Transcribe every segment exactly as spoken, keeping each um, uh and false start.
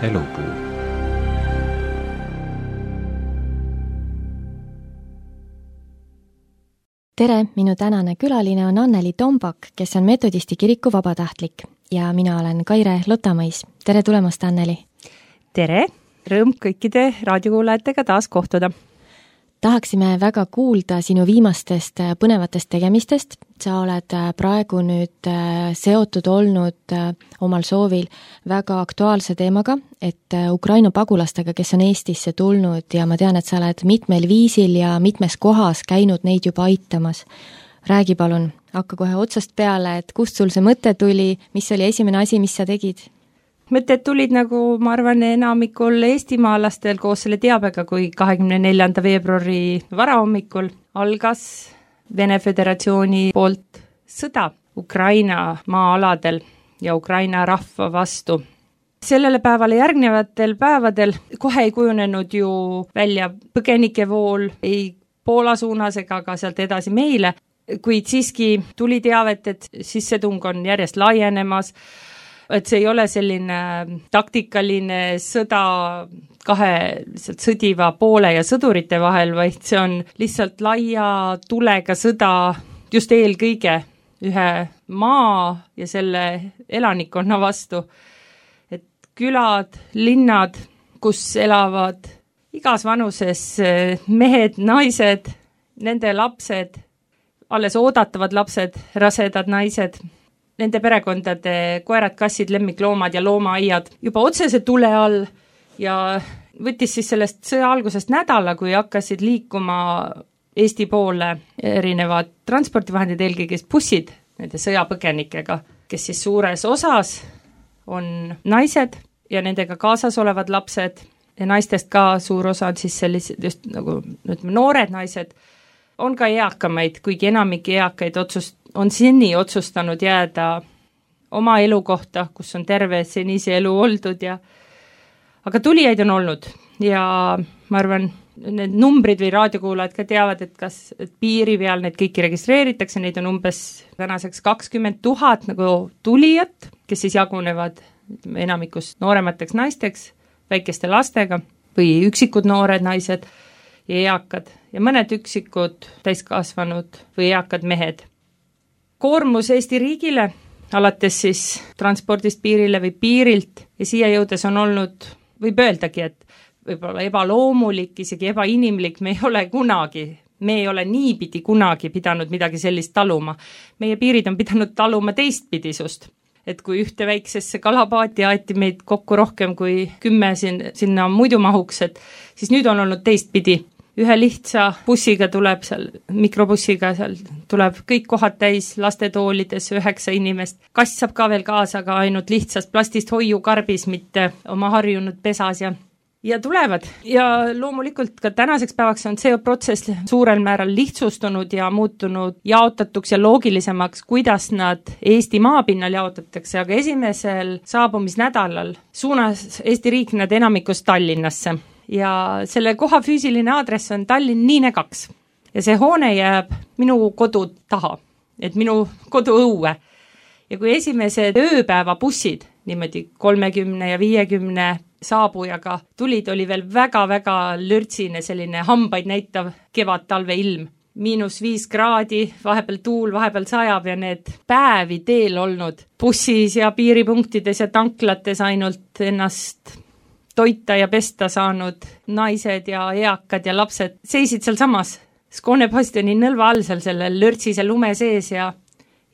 Elupuu. Tere, minu tänane külaline on Anneli Tombak, kes on Metodisti kiriku vabatahtlik ja mina olen Kaire Lotamõis. Tere tulemast, Anneli! Tere! Rõõm kõikide raadiokuulajatega taas kohtuda. Tahaksime väga kuulda sinu viimastest põnevatest tegemistest. Sa oled praegu nüüd seotud olnud omal soovil väga aktuaalse teemaga, et Ukraina pagulastega, kes on Eestisse tulnud ja ma tean, et sa oled mitmel viisil ja mitmes kohas käinud neid juba aitamas. Räägi palun, hakka kohe otsast peale, et kust sul see mõte tuli, mis oli esimene asi, mis sa tegid? Mõtted tulid nagu, ma arvan, enamikul eestimaalastel koos selle teabega, kui kahekümne neljanda veebruari varahommikul algas Vene Föderatsiooni poolt sõda Ukraina maa-aladel ja Ukraina rahva vastu. Sellele päevale järgnevatel päevadel kohe ei kujunenud ju välja põgenikevool ei Poola suunas ega ka sealt edasi meile, kuid siiski tuli teavet, et sissetung on järjest laienemas, et see ei ole selline taktikaline sõda kahe sõdiva poole ja sõdurite vahel, vaid see on lihtsalt laia tulega sõda just eelkõige ühe maa ja selle elanikkonna vastu. Et külad, linnad, kus elavad igas vanuses mehed, naised, nende lapsed, alles oodatavad lapsed, rasedad naised, nende perekondade koerad, kassid, lemmikloomad ja loomaaiad juba otsese tule all ja võttis siis sellest sõja algusest nädala, kui hakkasid liikuma Eesti poole erinevad transpordivahendid, eelkõige bussid nende sõjapõgenikega, kes siis suures osas on naised ja nendega kaasas olevad lapsed ja naistest ka suur osa on siis sellised just nagu ütleme, noored naised, on ka eakamaid, kuigi enamik eakaid otsust on seni otsustanud jääda oma elu kohta, kus on terve senise elu oldud ja aga tulijaid on olnud ja ma arvan, need numbrid või raadiokuulajad ka teavad, et kas et piiri peal need kõiki registreeritakse, neid on umbes tänaseks kakskümmend tuhat nagu tulijat, kes siis jagunevad enamikus nooremateks naisteks, väikeste lastega või üksikud noored naised ja eakad ja mõned üksikud täiskasvanud või eakad mehed. Koormus Eesti riigile, alates siis transpordist piirile või piirilt ja siia jõudes on olnud, võib öeldagi, et võib-olla ebaloomulik, isegi ebainimlik, me ei ole kunagi, me ei ole niipidi kunagi pidanud midagi sellist taluma. Meie piirid on pidanud taluma teistpidisust, et kui ühte väiksesse kalapaati aeti meid kokku rohkem kui kümme sin, sinna muidu mahuks, et siis nüüd on olnud teistpidi. Ühe lihtsa bussiga tuleb seal, mikrobussiga seal tuleb kõik kohad täis lastetoolides üheksa inimest. Kass saab ka veel kaasa, aga ainult lihtsast plastist hoiukarbis, mitte oma harjunud pesas ja, ja tulevad. Ja loomulikult ka tänaseks päevaks on see protsess suurel määral lihtsustunud ja muutunud jaotatuks ja loogilisemaks, kuidas nad Eesti maapinnal jaotatakse, aga esimesel saabumisnädalal suunas Eesti riik nad enamikus Tallinnasse. Ja selle koha füüsiline aadress on Tallinn Niine kaks ja see hoone jääb minu kodu taha, et minu kodu õue. Ja kui esimesed ööpäeva bussid, niimoodi kolmekümne ja viiekümne saabujaga tulid, oli veel väga-väga lürtsine selline hambaid näitav kevad-talve ilm. Miinus viis kraadi, vahepeal tuul, vahepeal sajab ja need päevi teel olnud bussis ja piiripunktides ja tanklates ainult ennast toita ja pesta saanud naised ja eakad ja lapsed seisid seal samas Skåne Bastioni nõlva all seal selle lörtsise lume sees ja,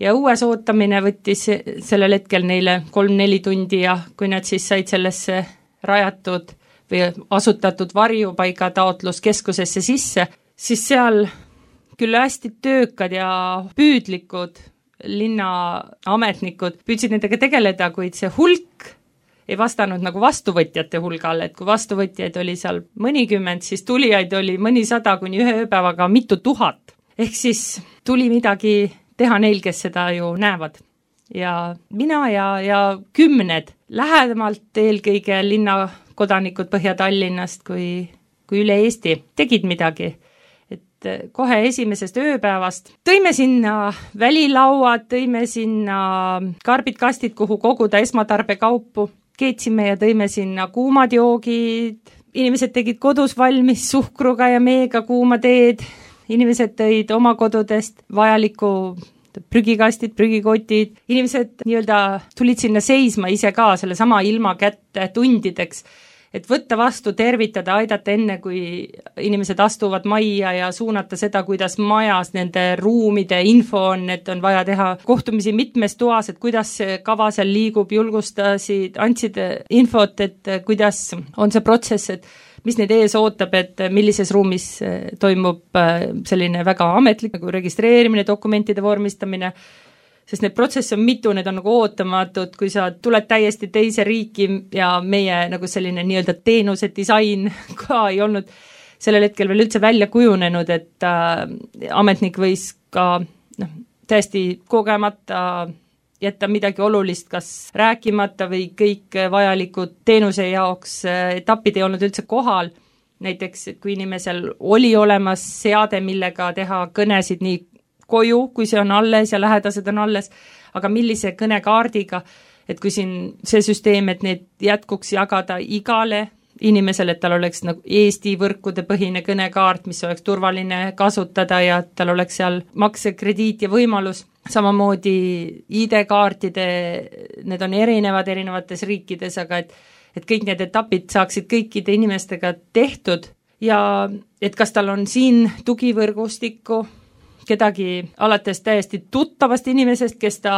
ja õues ootamine võttis sellel hetkel neile kolm-neli tundi ja kui nad siis said sellesse rajatud või asutatud varjupaiga taotluskeskusesse sisse, siis seal küll hästi töökad ja püüdlikud linnaametnikud püüdsid nendega tegeleda, kuid see hulk ei vastanud nagu vastuvõtjate hulgale, et kui vastuvõtjaid oli seal mõnikümmend, siis tulijaid oli mõnisada kuni ühe ööpäevaga mitu tuhat. Ehk siis tuli midagi teha neil, kes seda ju näevad. Ja mina ja, ja kümned lähedamalt eelkõige linnakodanikud Põhja-Tallinnast kui, kui üle Eesti tegid midagi. Et kohe esimesest ööpäevast tõime sinna välilauad, tõime sinna karbid, kastid, kuhu koguda esmatarbekaupu. keetsime ja tõime sinna kuumad joogid, inimesed tegid kodus valmis suhkruga ja meega kuuma teed, inimesed tõid oma kodudest vajaliku prügikastid, prügikotid, inimesed nii-öelda tulid sinna seisma ise ka selle sama ilma kätte tundideks, et võtta vastu, tervitada, aidata enne, kui inimesed astuvad majja ja suunata seda, kuidas majas nende ruumide info on, et on vaja teha kohtumisi mitmes toas, et kuidas see kava seal liigub, julgustasid, andsid infot, et kuidas on see protsess, et mis neid ees ootab, et millises ruumis toimub selline väga ametlik nagu registreerimine, dokumentide vormistamine, sest need protsesse on mitu, need on nagu ootamatud, kui sa tuled täiesti teise riiki ja meie nagu selline nii-öelda teenuse disain ka ei olnud sellel hetkel veel üldse välja kujunenud, et äh, ametnik võis ka noh, täiesti kogemata jätta midagi olulist, kas rääkimata või kõik vajalikud teenuse jaoks etapid ei olnud üldse kohal. Näiteks, et kui inimesel oli olemas seade, millega teha kõnesid nii koju, kui see on alles ja lähedased on alles, aga millise kõnekaardiga, et kui siin see süsteem, et need jätkuks jagada igale inimesele, et tal oleks nagu Eesti võrkude põhine kõnekaart, mis oleks turvaline kasutada ja tal oleks seal maksekrediit ja võimalus, samamoodi I D-kaartide, need on erinevad erinevates riikides, aga et, et kõik need etapid saaksid kõikide inimestega tehtud ja et kas tal on siin tugivõrgustikku, kedagi alates täiesti tuttavast inimesest, kes ta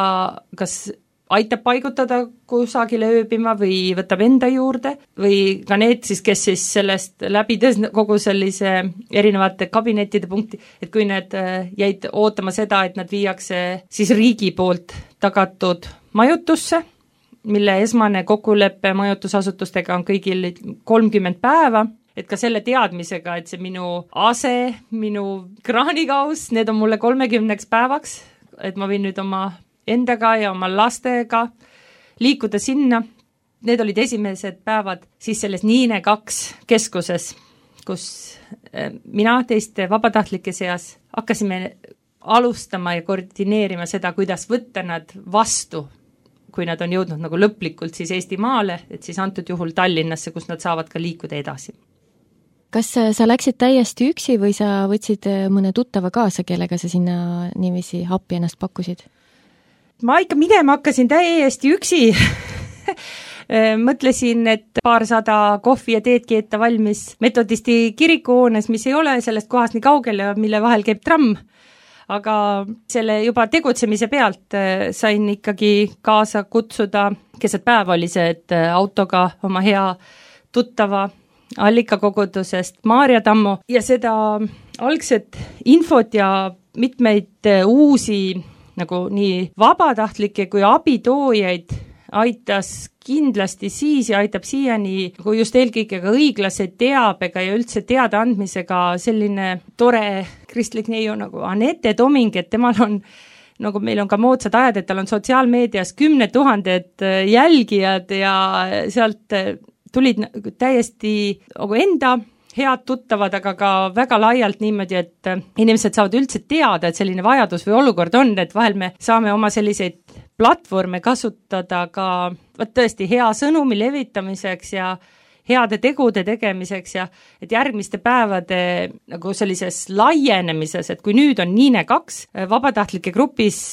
kas aitab paigutada kusagile ööbima või võtab enda juurde või ka need siis, kes siis sellest läbides kogu sellise erinevate kabinettide punkti, et kui need jäid ootama seda, et nad viiakse siis riigi poolt tagatud majutusse, mille esmane kokkulepe majutusasutustega on kõigil kolmkümmend päeva, et ka selle teadmisega, et see minu ase, minu kraanikaus, need on mulle kolmekümneks päevaks, et ma võin nüüd oma endaga ja oma lastega liikuda sinna. Need olid esimesed päevad siis selles Niine kaks keskuses, kus mina teiste vabatahtlike seas hakkasime alustama ja koordineerima seda, kuidas võtta nad vastu, kui nad on jõudnud nagu lõplikult siis Eestimaale, et siis antud juhul Tallinnasse, kus nad saavad ka liikuda edasi. Kas sa läksid täiesti üksi või sa võtsid mõne tuttava kaasa, kellega sa sinna niiviisi appi ennast pakkusid? Ma ikka minema hakkasin täiesti üksi. Mõtlesin, et paarsada kohvi ja teed keeta valmis metodisti kirikuhoones, mis ei ole sellest kohast nii kaugel ja mille vahel käib tramm. Aga selle juba tegutsemise pealt sain ikkagi kaasa kutsuda, keset päev oli see, et autoga oma hea tuttava allikakogudusest Maarja Tammo ja seda algset infot ja mitmeid uusi nagu nii vabatahtlikke kui abitoojaid aitas kindlasti siis ja aitab siiani kui just eelkõige ka õiglase teabega ja üldse teada andmisega selline tore kristlik neiu nagu Anette Toming, et temal on nagu meil on ka moodsad ajad, et tal on sotsiaalmeedias kümned tuhanded jälgijad ja sealt tulid täiesti nagu enda head tuttavad, aga ka väga laialt niimoodi, et inimesed saavad üldse teada, et selline vajadus või olukord on, et vahel me saame oma selliseid platvorme kasutada ka võt tõesti hea sõnumi levitamiseks ja heade tegude tegemiseks ja et järgmiste päevade nagu sellises laienemises, et kui nüüd on Niine kaks vabatahtlike grupis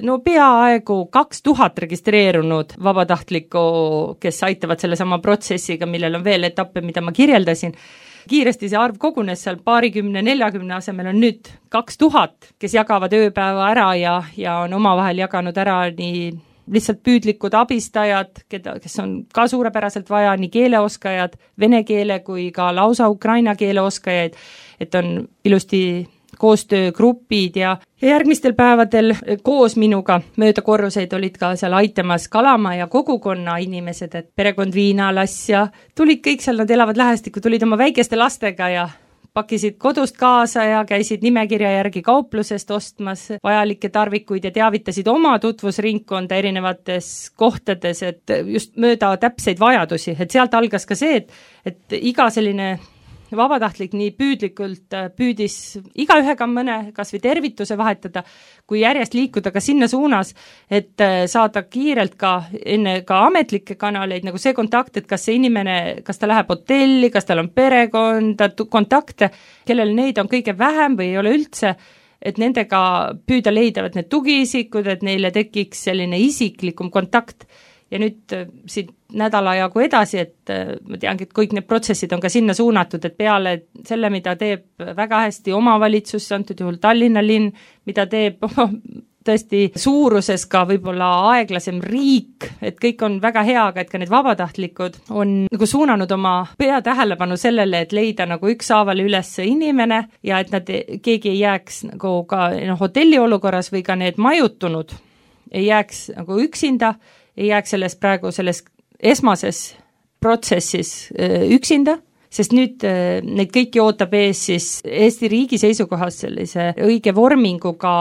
no peaaegu kaks tuhat registreerunud vabatahtlikku, kes aitavad selle sama protsessiga, millel on veel etappe, mida ma kirjeldasin, kiiresti see arv kogunes seal paarikümne, neljakümne asemel on nüüd kaks tuhat, kes jagavad ööpäeva ära ja, ja on omavahel jaganud ära nii lihtsalt püüdlikud abistajad, keda, kes on ka suurepäraselt vaja, nii keeleoskajad, vene keele kui ka lausa ukraina keele oskajaid, et on ilusti koostöögrupid ja, ja järgmistel päevadel koos minuga mööda korruseid olid ka seal aitamas Kalama ja kogukonna inimesed, et perekond Viinalas ja tulid kõik seal, nad elavad lähestikku, tulid oma väikeste lastega ja pakkisid kodust kaasa ja käisid nimekirja järgi kauplusest ostmas vajalikke tarvikuid ja teavitasid oma tutvusringkonda erinevates kohtades, et just mööda täpseid vajadusi, et sealt algas ka see, et, et iga selline vabatahtlik nii püüdlikult püüdis igaühega mõne kas või tervituse vahetada, kui järjest liikuda ka sinna suunas, et saada kiirelt ka enne ka ametlikke kanaleid, nagu see kontakt, et kas see inimene, kas ta läheb hotelli, kas tal on perekonda, kontakte, kellel neid on kõige vähem või ei ole üldse, et nendega püüda leida need tugiisikud, et neile tekiks selline isiklikum kontakt. Ja nüüd siit nädala jagu edasi, et ma teangi, et kõik need protsessid on ka sinna suunatud, et peale selle, mida teeb väga hästi omavalitsus, antud juhul Tallinna linn, mida teeb tõesti suuruses ka võib-olla aeglasem riik, et kõik on väga hea, aga et ka need vabatahtlikud on nagu suunanud oma pea tähelepanu sellele, et leida nagu ükshaaval üles inimene ja et nad, keegi ei jääks nagu ka no, hotelli olukorras või ka need majutunud ei jääks nagu üksinda, ei jääks selles praegu selles esmases protsessis üksinda, sest nüüd neid kõiki ootab ees siis Eesti riigi seisukohas sellise õige vorminguga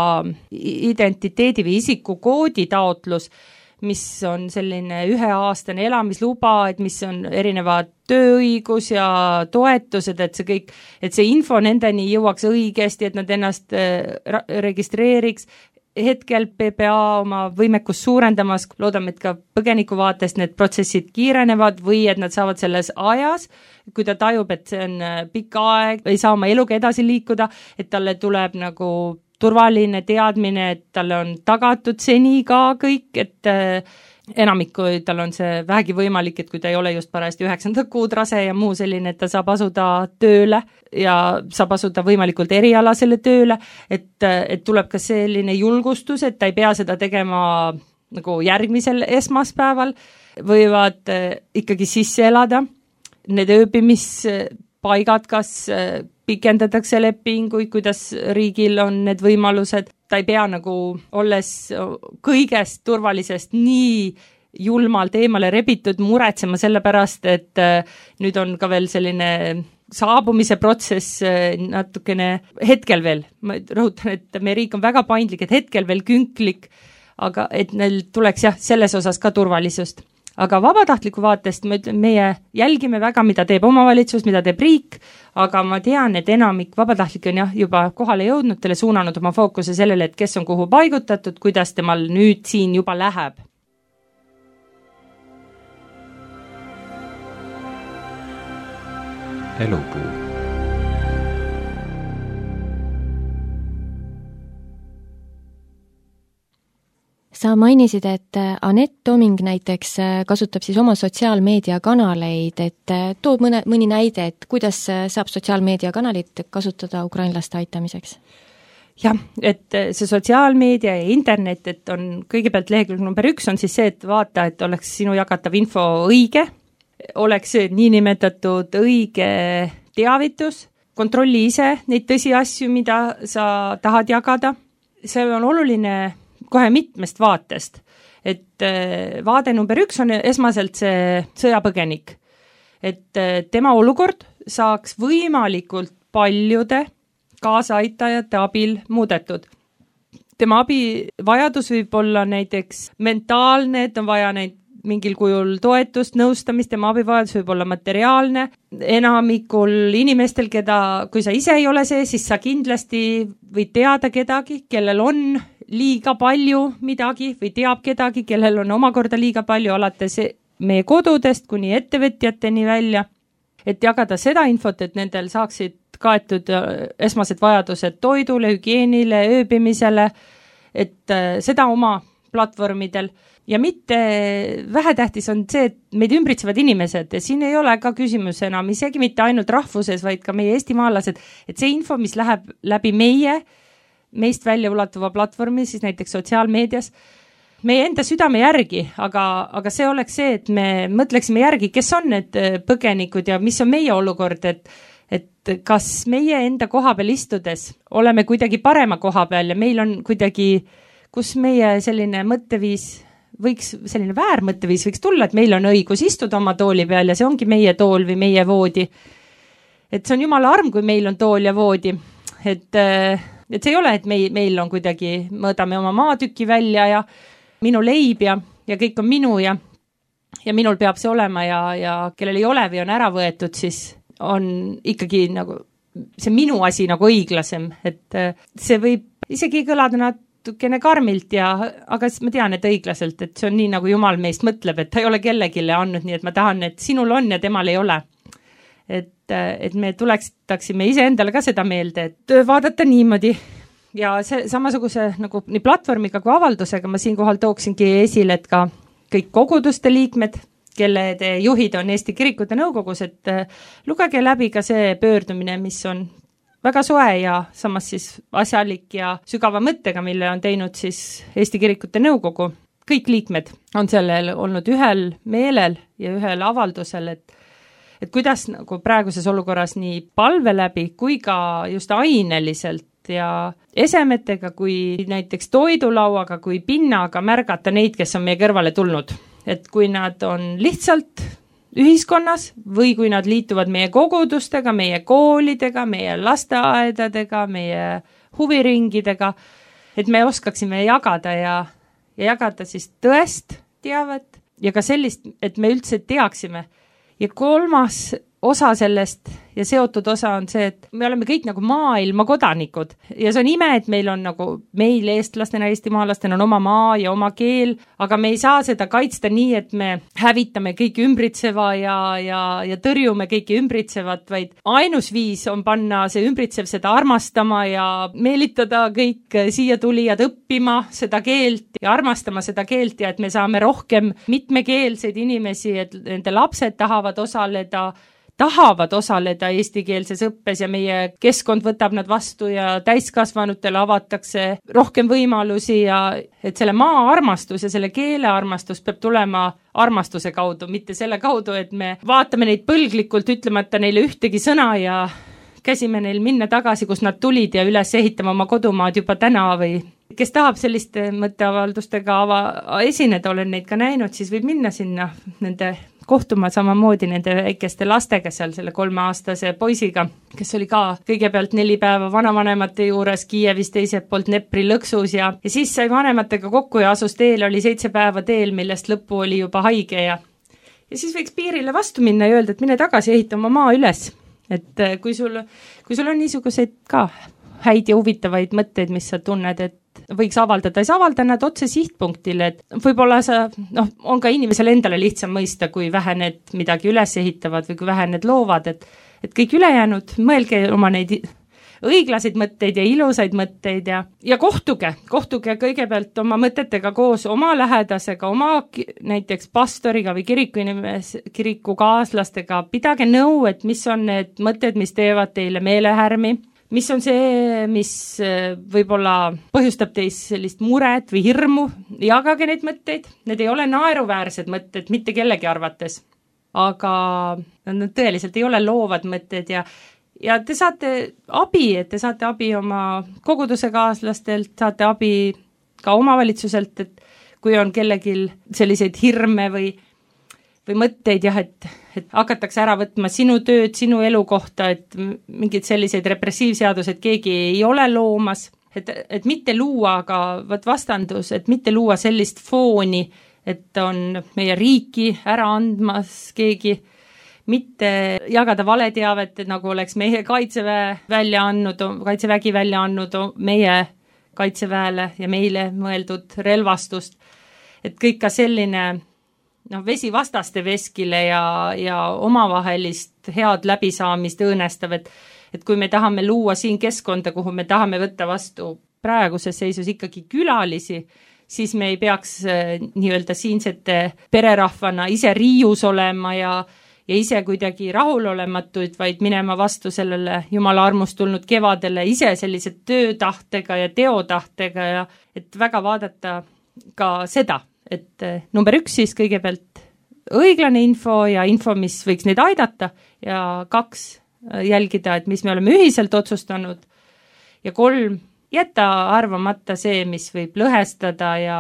identiteedi või isikukoodi taotlus, mis on selline üheaastane elamisluba, et mis on erinevad tööõigus ja toetused, et see kõik, et see info nendeni jõuaks õigesti, et nad ennast registreeriks. Hetkel P P A oma võimekust suurendamas, loodame, et ka põgeniku vaatest need protsessid kiirenevad või et nad saavad selles ajas, kui ta tajub, et see on pikk aeg, ei saa oma eluga edasi liikuda, et talle tuleb nagu turvaline teadmine, et talle on tagatud seni ka kõik, et enamik, kui tal on see vähegi võimalik, et kui ta ei ole just parajasti üheksanda kuud rase ja muu selline, et ta saab asuda tööle ja saab asuda võimalikult erialasele tööle, et, et tuleb ka selline julgustus, et ta ei pea seda tegema nagu järgmisel esmaspäeval, võivad ikkagi sisse elada. Need ööbimispaigad, kas pikendatakse lepinguid, kuidas riigil on need võimalused, ta ei pea nagu olles kõigest turvalisest nii julmalt eemale rebitud muretsema selle pärast, et nüüd on ka veel selline saabumise protsess natukene hetkel veel, ma rõhutan, et meie riik on väga paindlik, et hetkel veel künklik, aga et neil tuleks jah, selles osas ka turvalisust. Aga vabatahtliku vaatest me, meie jälgime väga, mida teeb omavalitsus, mida teeb riik, aga ma tean, et enamik vabatahtlik on jah, juba kohale jõudnud, teile suunanud oma fookuse sellele, et kes on kuhu paigutatud, kuidas temal nüüd siin juba läheb. Elupuu. Sa mainisid, et Anett Toming näiteks kasutab siis oma sotsiaalmeediakanaleid, et toob mõne, mõni näide, et kuidas saab sotsiaalmeediakanalit kasutada ukrainlaste aitamiseks? Jah, et see sotsiaalmeedia ja internet, et on kõigepealt lehekülg number üks on siis see, et vaata, et oleks sinu jagatav info õige, oleks niinimetatud õige teavitus, kontrolli ise neid tõsiasju, mida sa tahad jagada. See on oluline kohe mitmest vaatest, et vaade number üks on esmaselt see sõjapõgenik, et tema olukord saaks võimalikult paljude kaasaaitajate abil muudetud. Tema abivajadus võib olla näiteks mentaalne, et on vaja neid mingil kujul toetust, nõustamist, tema abivajadus võib olla materiaalne. Enamikul inimestel, keda, kui sa ise ei ole see, siis sa kindlasti võid teada kedagi, kellel on liiga palju midagi või teab kedagi, kellel on omakorda liiga palju alates meie kodudest kuni ettevõtjateni välja, et jagada seda infot, et nendel saaksid kaetud esmased vajadused toidule, hügieenile, ööbimisele, et seda oma platvormidel ja mitte vähetähtis on see, et meid ümbritsevad inimesed ja siin ei ole ka küsimus enam isegi mitte ainult rahvuses, vaid ka meie eestimaalased, et see info, mis läheb läbi meie meist välja ulatuva platvormi, siis näiteks sotsiaalmeedias, meie enda südame järgi, aga, aga see oleks see, et me mõtleksime järgi, kes on need põgenikud ja mis on meie olukord, et, et kas meie enda koha peal istudes oleme kuidagi parema koha peal ja meil on kuidagi, kus meie selline mõtteviis võiks, selline väärmõtteviis võiks tulla, et meil on õigus istuda oma tooli peal ja see ongi meie tool või meie voodi. Et see on jumala arm, kui meil on tool ja voodi, et et see ei ole, et meil, meil on kuidagi, mõõdame oma maatüki välja ja minu leib ja, ja kõik on minu ja, ja minul peab see olema ja, ja kellel ei ole või on ära võetud, siis on ikkagi nagu see minu asi nagu õiglasem, et see võib isegi kõlada natukene karmilt ja, aga ma tean, et õiglaselt, et see on nii, nagu Jumal meist mõtleb, et ta ei ole kellegile andnud, nii et ma tahan, et sinul on ja temal ei ole. Et, et me tulekstaksime ise endale ka seda meelde, et vaadata niimoodi ja see samasuguse nagu nii platvormiga kui avaldusega ma siinkohal tooksingi esile, et ka kõik koguduste liikmed, kelle juhid on Eesti Kirikute Nõukogus, et lugege läbi ka see pöördumine, mis on väga soe ja samas siis asjalik ja sügava mõttega, mille on teinud siis Eesti Kirikute Nõukogu. Kõik liikmed on sellel olnud ühel meelel ja ühel avaldusel, et, et kuidas nagu praeguses olukorras nii palve läbi kui ka just aineliselt ja esemetega kui näiteks toidulauaga kui pinnaga märgata neid, kes on meie kõrvale tulnud. Et kui nad on lihtsalt ühiskonnas või kui nad liituvad meie kogudustega, meie koolidega, meie lasteaedadega, meie huviringidega, et me oskaksime jagada ja, ja jagada siis tõest teavet ja ka sellist, et me üldse teaksime. Ja kolmas osa sellest ja seotud osa on see, et me oleme kõik nagu maailma kodanikud ja see on ime, et meil on nagu meil eestlastena, eestimaalastena on oma maa ja oma keel, aga me ei saa seda kaitsta nii, et me hävitame kõiki ümbritseva ja, ja, ja tõrjume kõiki ümbritsevat, vaid ainus viis on panna see ümbritsev seda armastama ja meelitada kõik siia tulijad õppima seda keelt ja armastama seda keelt ja et me saame rohkem mitmekeelseid inimesi, et nende lapsed tahavad osaleda tahavad osaleda eestikeelses õppes ja meie keskkond võtab nad vastu ja täiskasvanutele avatakse rohkem võimalusi ja et selle maa armastus ja selle keele armastus peab tulema armastuse kaudu, mitte selle kaudu, et me vaatame neid põlglikult ütlemata neile ühtegi sõna ja käsime neil minna tagasi, kus nad tulid ja üles ehitama oma kodumaad juba täna või kes tahab selliste mõtteavaldustega ava, esineda, olen neid ka näinud, siis võib minna sinna nende kohtuma samamoodi nende väikeste lastega seal selle kolmeaastase poisiga, kes oli ka kõigepealt neli päeva vanavanemate juures Kiievis teiselt poolt Nepri lõksus ja, ja siis sai vanematega kokku ja asus teel, oli seitse päeva teel, millest lõppu oli juba haige ja ja siis võiks piirile vastu minna ja öelda, et mine tagasi ehita oma maa üles, et kui sul, kui sul on niisuguseid ka häid ja huvitavaid mõtteid, mis sa tunned, et võiks avaldada, siis avalda nad otse sihtpunktile, et võib-olla sa, noh, on ka inimesele endale lihtsam mõista, kui vähe need midagi üles ehitavad või kui vähe need loovad, et, et kõik ülejäänud, mõelge oma neid õiglaseid mõtteid ja ilusaid mõtteid ja, ja kohtuge, kohtuge kõigepealt oma mõtetega koos oma lähedasega, oma näiteks pastoriga või kiriku inimes, kiriku kaaslastega, pidage nõu, et mis on need mõtted, mis teevad teile meelehärmi, mis on see, mis võib-olla põhjustab teis sellist muret või hirmu, jagage neid mõtteid, need ei ole naeruväärsed mõtted mitte kellegi arvates, aga nad tõeliselt ei ole loovad mõtted ja, ja te saate abi, et te saate abi oma koguduse kaaslastelt, saate abi ka omavalitsuselt, et kui on kellelgi selliseid hirme või või mõtteid jah, et, et hakatakse ära võtma sinu tööd, sinu elu kohta, et mingid selliseid repressiivseadused keegi ei ole loomas, et, et mitte luua aga võt vastandus, et mitte luua sellist fooni, et on meie riiki ära andmas keegi, mitte jagada valeteavet, et nagu oleks meie kaitseväe välja andnud, kaitsevägi välja andnud meie kaitseväele ja meile mõeldud relvastust, et kõik ka selline noh, vesivastaste veskile ja, ja omavahelist head läbisaamist õõnestav, et, et kui me tahame luua siin keskkonda, kuhu me tahame võtta vastu praeguses seisus ikkagi külalisi, siis me ei peaks nii-öelda siinsete pererahvana ise riius olema ja, ja ise kuidagi rahulolematuid, vaid minema vastu sellele Jumala armust tulnud kevadele ise sellise töötahtega ja teotahtega ja et väga vaadata ka seda, et number üks siis kõigepealt õiglane info ja info, mis võiks neid aidata ja kaks jälgida, et mis me oleme ühiselt otsustanud ja kolm jätta arvamata see, mis võib lõhestada ja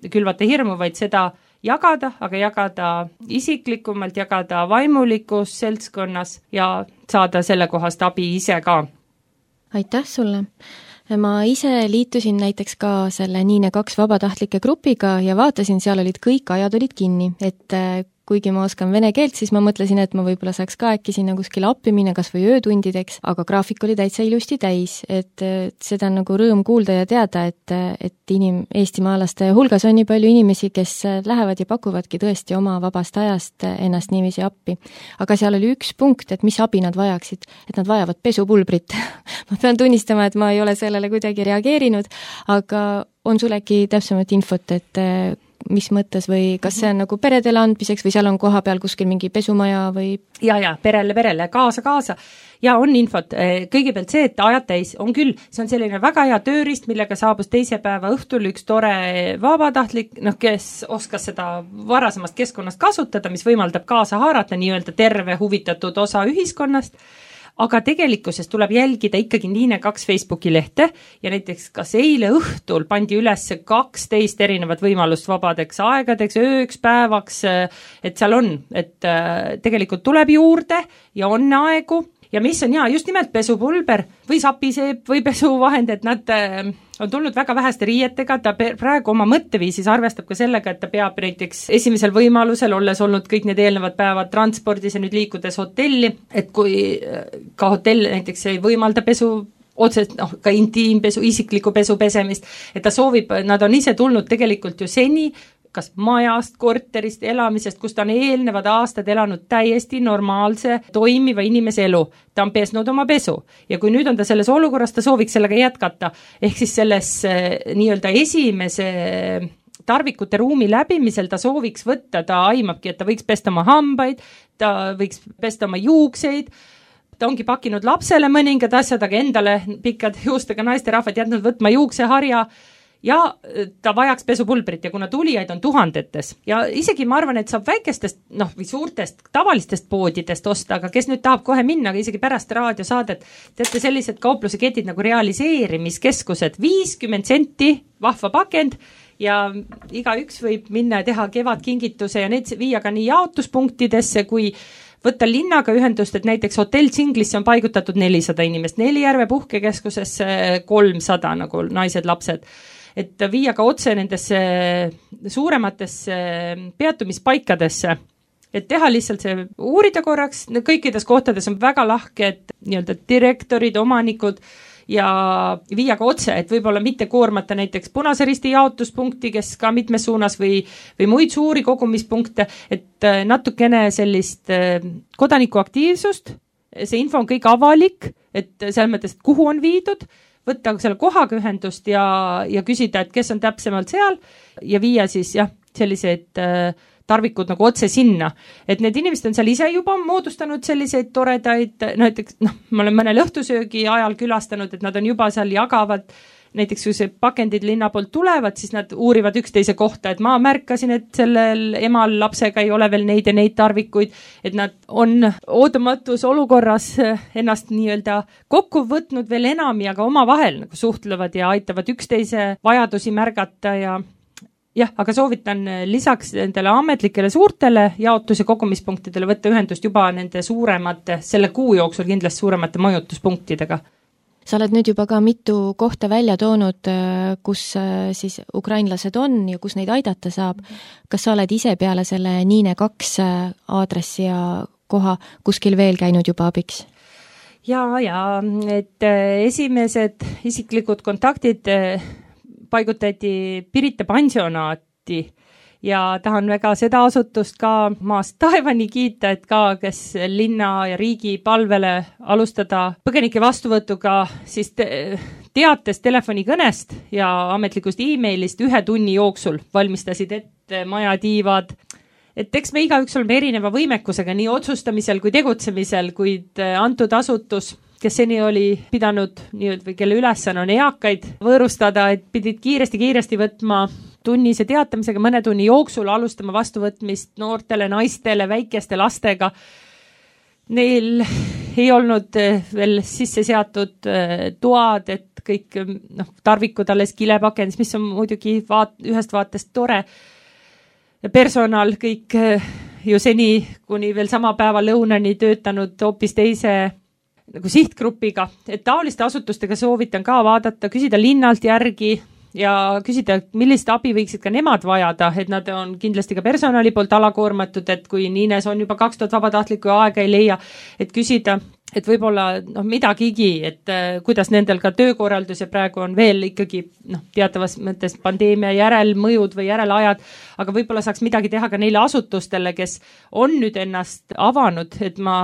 külvata hirmu, vaid seda jagada, aga jagada isiklikumalt, jagada vaimulikus seltskonnas ja saada sellekohast abi ise ka. Aitäh sulle! Ma ise liitusin näiteks ka selle Niine kaks vabatahtlike grupiga ja vaatasin, seal olid kõik ajad olid kinni, et kuigi ma oskan vene keelt, siis ma mõtlesin, et ma võib-olla saaks ka äkki sinna kuskile appi minna, kas või öötundideks, aga graafik oli täitsa ilusti täis, et seda on nagu rõõm kuulda ja teada, et, et inim-, eestimaalaste hulgas on nii palju inimesi, kes lähevad ja pakuvadki tõesti oma vabast ajast ennast niiviisi appi. Aga seal oli üks punkt, et mis abi nad vajaksid, et nad vajavad pesupulbrit. ma pean tunnistama, et ma ei ole sellele kuidagi reageerinud, aga on sul äkki täpsemat infot, et mis mõttes või kas see on nagu peredele andmiseks või seal on koha peal kuskil mingi pesumaja või? Ja, ja, perele, perele, kaasa, kaasa. Ja on infot. Kõigepealt see, et ajad täis on küll, see on selline väga hea töörist, millega saabus teise päeva õhtul üks tore vabatahtlik, noh, kes oskas seda varasemast keskkonnast kasutada, mis võimaldab kaasa haarata nii-öelda terve huvitatud osa ühiskonnast. Aga tegelikkuses tuleb jälgida ikkagi Niine kaks Facebooki lehte ja näiteks kas eile õhtul pandi üles kaksteist erinevat võimalust vabadeks aegadeks, ööks, päevaks, et seal on, et tegelikult tuleb juurde ja on aegu ja mis on hea, just nimelt pesupulber või sapiseep või pesuvahend, et nad on tulnud väga väheste riietega, ta praegu oma mõtteviisis arvestab ka sellega, et ta peab näiteks esimesel võimalusel, olles olnud kõik need eelnevad päevad transpordis ja nüüd liikudes hotelli, et kui ka hotell näiteks ei võimalda pesu otsest, noh, ka intiimpesu, isikliku pesu pesemist, et ta soovib, nad on ise tulnud tegelikult ju seni, kas majast, korterist, elamisest, kus ta on eelnevad aastad elanud täiesti normaalse, toimiva inimese elu. Ta on pesnud oma pesu. Ja kui nüüd on ta selles olukorras, ta sooviks sellega jätkata. Ehk siis selles nii-öelda esimese tarvikute ruumi läbimisel ta sooviks võtta, ta aimabki, et ta võiks pesta oma hambaid, ta võiks pesta oma juukseid, ta ongi pakkinud lapsele mõningad asjad, aga endale pikad juustega naisterahvad jätnud võtma juukseharja, ja ta vajaks pesupulbrit ja kuna tulijaid on tuhandetes ja isegi ma arvan, et saab väikestest, noh, või suurtest tavalistest poodidest osta, aga kes nüüd tahab kohe minna, aga isegi pärast raadiosaadet, teate sellised kaupluseketid nagu realiseerimiskeskused, viiskümmend senti vahva pakend ja igaüks võib minna ja teha kevadkingituse ja neid viia ka nii jaotuspunktidesse kui võtta linnaga ühendust, et näiteks hotell Tsinglisse on paigutatud nelisada inimest, Nelijärve puhkekeskusesse kolmsada nagu naised, lapsed. Et viia ka otse nendesse suurematesse peatumispaikadesse, et teha lihtsalt see uurida korraks, kõikides kohtades on väga lahked nii-öelda direktorid, omanikud ja viia ka otse, et võib-olla mitte koormata näiteks Punase Risti jaotuspunkti, kes ka mitmes suunas või, või muid suuri kogumispunkte, et natukene sellist kodanikuaktiivsust, see info on kõik avalik, et selles mõttes, et kuhu on viidud, võtta selle kohaga ühendust ja, ja küsida, et kes on täpsemalt seal ja viia siis jah, sellised äh, tarvikud nagu otse sinna. Et need inimesed on seal ise juba moodustanud selliseid toredaid, näiteks noh, ma olen mõnel õhtusöögi ajal külastanud, et nad on juba seal jagavad, näiteks kui see pakendid linna poolt tulevad, siis nad uurivad üksteise kohta, et ma märkasin, et sellel emal lapsega ei ole veel neid ja neid tarvikuid, et nad on ootamatus olukorras ennast nii-öelda kokku võtnud veel enam ja ka oma vahel nagu suhtlevad ja aitavad üksteise vajadusi märgata ja jah, aga soovitan lisaks nendele ametlikele suurtele jaotus- ja kogumispunktidele võtta ühendust juba nende suuremate, selle kuu jooksul kindlasti suuremate majutuspunktidega. Sa oled nüüd juba ka mitu kohta välja toonud, kus siis ukrainlased on ja kus neid aidata saab. Kas sa oled ise peale selle Niine kaks aadressi ja koha kuskil veel käinud juba abiks? Ja, ja, et esimesed isiklikud kontaktid paigutati Pirita pansionaati ja tahan väga seda asutust ka maast taevani kiita, et ka, kes linna ja riigi palvele alustada põgenike vastuvõtuga siis te teates telefonikõnest ja ametlikust e-mailist ühe tunni jooksul valmistasid ette majatiivad. Et eks me igaüks oleme erineva võimekusega nii otsustamisel kui tegutsemisel, kuid antud asutus, kes seni oli pidanud, nii, või kelle ülesanne on eakaid võõrustada, et pidid kiiresti-kiiresti võtma tunnise teatamisega mõne tunni jooksul alustama vastuvõtmist noortele, naistele, väikeste lastega. Neil ei olnud veel sisse seatud toad, et kõik noh, tarvikud alles kilepakendis, mis on muidugi vaat, ühest vaatest tore. Personal kõik ju seni, kuni veel sama päeva lõunani töötanud hoopis teise nagu sihtgrupiga, et taoliste asutustega soovitan ka vaadata, küsida linnalt järgi, ja küsida, millist abi võiksid ka nemad vajada, et nad on kindlasti ka personali poolt alakoormatud, et kui Niines on juba kaks tuhat vabatahtlikku aega ei leia, et küsida, et võib-olla noh, midagigi, et äh, kuidas nendel ka töökorraldus ja praegu on veel ikkagi noh, teatavas mõttes pandeemia järelmõjud või järelajad, aga võib-olla saaks midagi teha ka neile asutustele, kes on nüüd ennast avanud, et ma